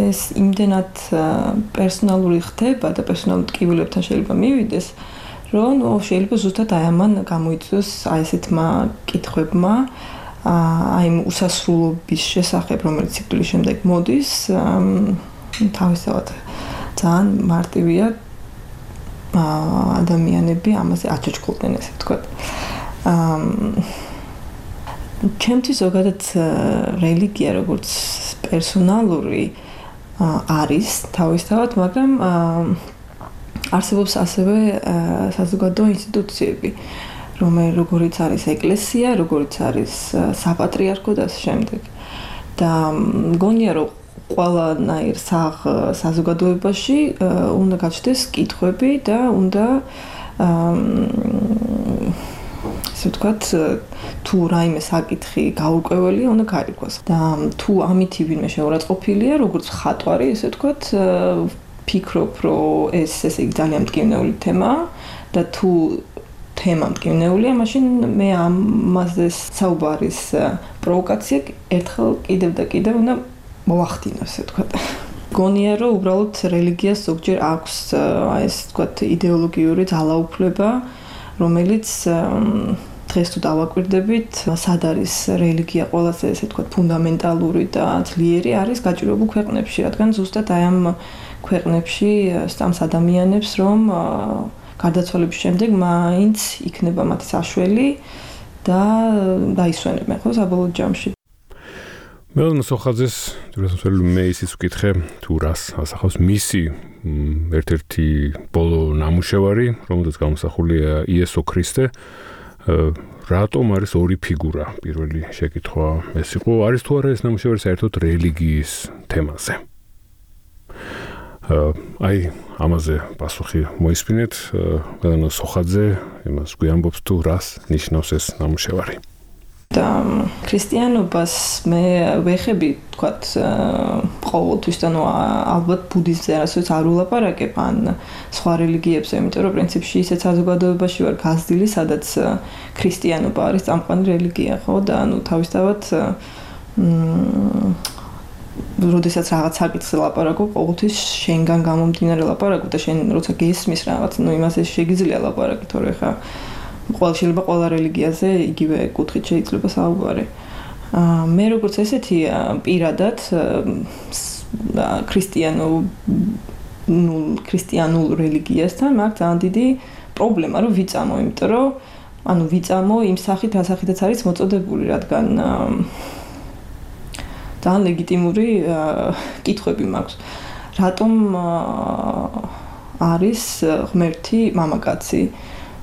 ეს იმდენად პერსონალური ხდება და პერსონალურ ტკივილებთან შეიძლება მივიდეს, რომ შეიძლება ზუსტად აი ამან გამოიწვიოს აი ესეთმა კითხვებმა, აი იმ უსასრულობის შესახებ, რომელიც სიკვდილის შემდეგ მოდის, თავისთავად ძალიან მარტივია ადამიანები ამაზე აჩოჩქულდნენ, ესე ვთქვათ. ჩემთვის ზოგადად რელიგია როგორც პერსონალური არის თავისთავად, მაგრამ არსებობს ასევე საზოგადო ინსტიტუციები, როგორიც არის ეკლესია, როგორიც არის საპატრიარქო და ასე შემდეგ. და მგონია, რომ ყველანაირ საზოგადოებაში უნდა გაჩნდეს კითხვები და უნდა ესე ვთქვათ, თუ რაიმე საკითხი გაურკვეველია, უნდა გაირკვეს. და თუ ამითი ვინმე შეურაცხყოფილია, როგორც მხატვარი, ესე ვთქვათ, ფიქრობ, რომ ეს ესე იგი ძალიან მტკივნეული თემაა და თუ თემა მტკივნეულია, მაშინ მე ამაზე საუბარის პროვოკაცია ერთხელ კიდევ და კიდევ უნდა მოვახდინო, ესე ვთქვათ. გონია რომ უბრალოდ რელიგიას ზოგჯერ აქვს ეს თქვათ იდეოლოგიური ძალაუფლება, რომელიც დღეს თუ დავაკვირდებით, სად არის რელიგია ყველაზე ესე თქვათ ფუნდამენტალური და ძლიერი არის გაჭირვებულ ქვეყნებში, რადგან ზუსტად აი ამ ქვეყნებში სტამს ადამიანებს რომ გარდაცვალების შემდეგ მაინც იქნება მათი საშველი და დაისვენებენ ხო საბოლოო ჯამში. მელანა სოხაძეს თურმე მე ისიც ვკითხე თუ რას ასახავს მისი ერთ-ერთი ბოლო ნამუშევარი, რომელზეც გამოსახულია იესო ქრისტე. რატომ არის ორი ფიგურა? პირველი შეკითხვა ეს იყო, არის თუ არა ეს ნამუშევარი საერთოდ რელიგიის თემაზე? აი ამაზე პასუხი მოისმინეთ, მელანა სოხაძე იმას გვიამბობს თუ რას ნიშნავს ეს ნამუშევარი. და ქრისტიანობას მე ვეხები თქვათ ყოველთვის და ნუ ალბათ ბუდიზმზე არასოდეს არ ულაპარაკებ ან სხვა რელიგიებზე, იმიტომ რომ პრინციპში ისეთ საზოგადოებაში ვარ გაზრდილი, სადაც ქრისტიანობა არის წამყვანი რელიგია, ხო და ნუ თავისთავად როდესაც რაღაც საკითხზე ლაპარაკობ, ყოველთვის შენგან გამომდინარე ლაპარაკობ და შენ როცა გესმის რაღაც, ნუ იმაზე შეგიძლია ლაპარაკი, თორე ხა შეიძლება ყველა რელიგიაზე იგივე კუთხით შეიძლება საუბარი. მე როგორც ესეთი პირადად ქრისტიანულ რელიგიასთან მაქვს ძალიან დიდი პრობლემა რომ ვიწამო, იმიტომ რომ ანუ ვიწამო იმ სახით, ასახითაც არის მოწოდებული, რადგან ძალიან ლეგიტიმური კითხვები მაქვს. რატომ არის ღმერთი მამაკაცი?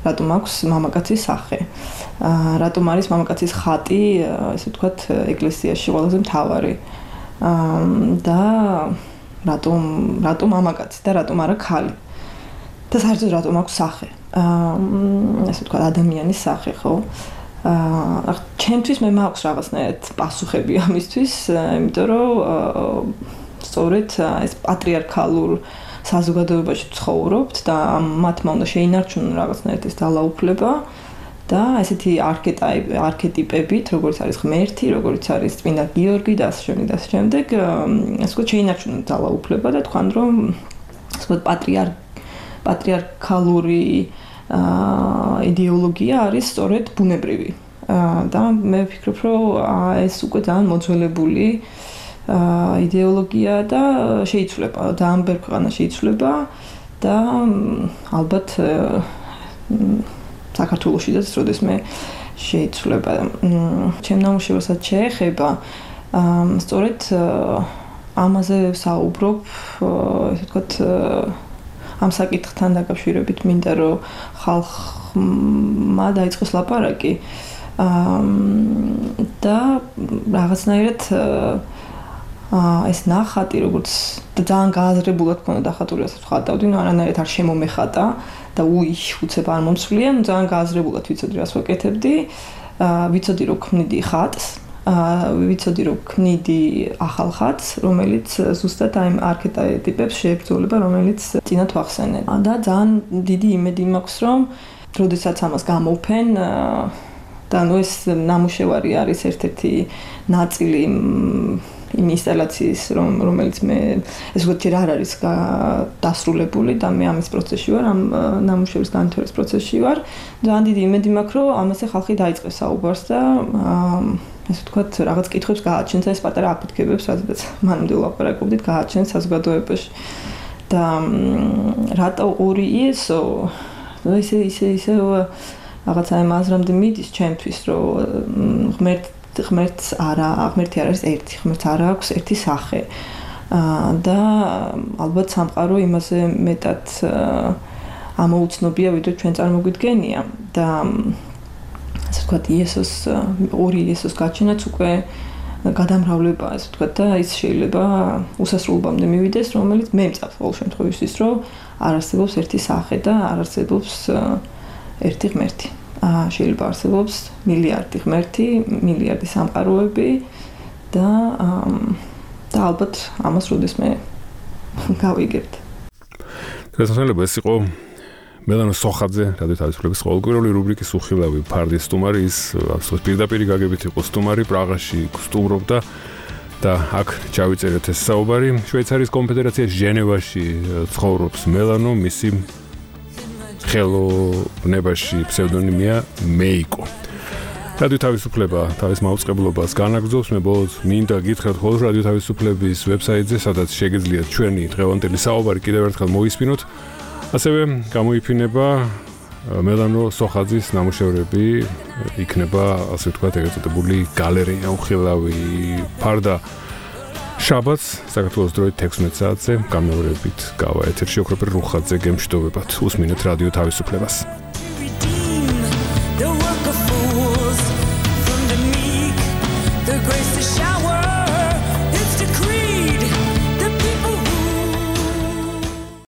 რატომ აქვს მამაკაცის სახე? რატომ არის მამაკაცის ხატი, ესე ვთქვათ, ეკლესიაში ყველაზე მთავარი? და რატომ მამაკაცი და რატომ არა ქალი? და საერთოდ რატომ აქვს სახე? ესე ვთქვათ, ადამიანის სახე, ხო? ჩემთვის მე მაქვს რაღაცნაირად პასუხები ამისთვის, იმიტომ რომ სწორედ ეს პატრიარქალურ საზოგადოებაში ცხოვრობთ და მათმა უნდა შეინარჩუნონ რაღაცნაირად ეს ძალაუფლება და ესეთი არქეტიპებით, როგორც არის ღმერთი, როგორც არის წმინდა გიორგი და ასე შემდეგ და ასე შემდეგ, ასე ვთქვათ, შეინარჩუნონ ძალაუფლება და თქვენ რომ ასე ვთქვათ პატრიარქალური იდეოლოგია არის სწორედ ბუნებრივი. და მე ვფიქრობ, რომ ეს უკვე ძალიან მოძველებული იდეოლოგია და შეიცვლება, ძალიან ბევრ ქვეყანაში იცვლება და ალბათ საქართველოშიც როდესმე შეიცვლება. ჩემ ნამუშევარსაც შეეხება სწორედ ამაზე საუბრობ, ესე ვთქვათ, ამ საკითხთან დაკავშირებით მინდა რომ ხალხმა დაიწყოს ლაპარაკი და რაღაცნაირად ეს ნახატი როგორც ძალიან გააზრებულად ქონდა დახატული, ასე ვხატავდი, ნუ არანაირად არ შემომეხატა და უცებ არ მომცვლია, ნუ ძალიან გააზრებულად ვიცოდი რას ვაკეთებდი, ვიცოდი რომ ქმნიდი ხატს, ვიცოდი რომ ქმნიდი ახალ ხატს, რომელიც ზუსტად აი ამ არქეტიპებს შეებრძოლება, რომელიც წინათ ვახსენე. და ძალიან დიდი იმედი მაქვს, რომ როდესაც ამას გამოვფენ და ნუ ეს ნამუშევარი არის ერთ-ერთი ნაწილი იმ ინსტალაციის, რომელიც მე ეს ვთქვათ ჯერ არ არის დასრულებული და მე ამის პროცესში ვარ, ამ ნამუშევრის განვითარების პროცესში ვარ. ძალიან დიდი იმედი მაქვს, რომ ამაზე ხალხი დაიწყებს საუბარს და ესე ვთქვათ, რაღაც კითხვებს გააჩენს ეს პატარა აფეთქებებს, რადგან მანამდე ვლაპარაკობდით, გააჩენს საზოგადოებაში. და რატო ორი იესო? ისე რაღაცა ამ აზრამდე მიდის ჩემთვის, რომ ღმერთი არ არის ერთი, ღმერთს არ აქვს ერთი სახე. და ალბათ სამყარო იმაზე მეტად ამოუცნობია, ვიდრე ჩვენ წარმოგვიდგენია და ასე ვთქვათ, იესოს ორი იესოს გაჩენაც უკვე გადამრავლება, ასე ვთქვათ, და ის შეიძლება უსასრულობამდე მივიდეს, რომელიც მე მწავს ყოველ შემთხვევაში, რომ არ არსებობს ერთი სახე და არ არსებობს ერთი ღმერთი. შეიძლება არსებობს მილიარდი ღმერთი, მილიარდი სამყაროები და ალბათ ამას როდესმე გავიგებთ. შესაძლოა ეს იყო მელანა სოხაძე, რადიო თავისუფლების ყოველკვირეული რუბრიკის უხილავი ფარდის სტუმარი, ის absolut პირდაპირი გაგებით იყო სტუმარი, პრაღაში სტუმრობდა და აქ ჩავიწერეთ ეს საუბარი. შვეიცარიის კონფედერაციის ჟენევაში ცხოვრობს მელანო, მისი ხელოვნებაში ფსევდონიმია მეიკო. რადიო თავისუფლება თავის მაუწყებლობას განაგრძობს. მე ბოლოს მინდა გითხრათ ხოლმე რადიო თავისუფლების ვებსაიტზე, სადაც შეგიძლიათ ჩვენი დღევანდელი საუბარი კიდევ ერთხელ მოისმინოთ. ასევე გამოიფინება მელანო სოხაძის ნამუშევრები, იქნება ასე ვთქვათ ეგრეთ წოდებული გალერეა უხილავი ფარდა შაბათს საქართველოს დროით 16 საათზე გამეორებით გავა ეთერში ოქროპერ რუხაძე გემშვიდობებათ. უსმინეთ რადიო თავისუფლებას. The work of fools from the meek, the grace to shout.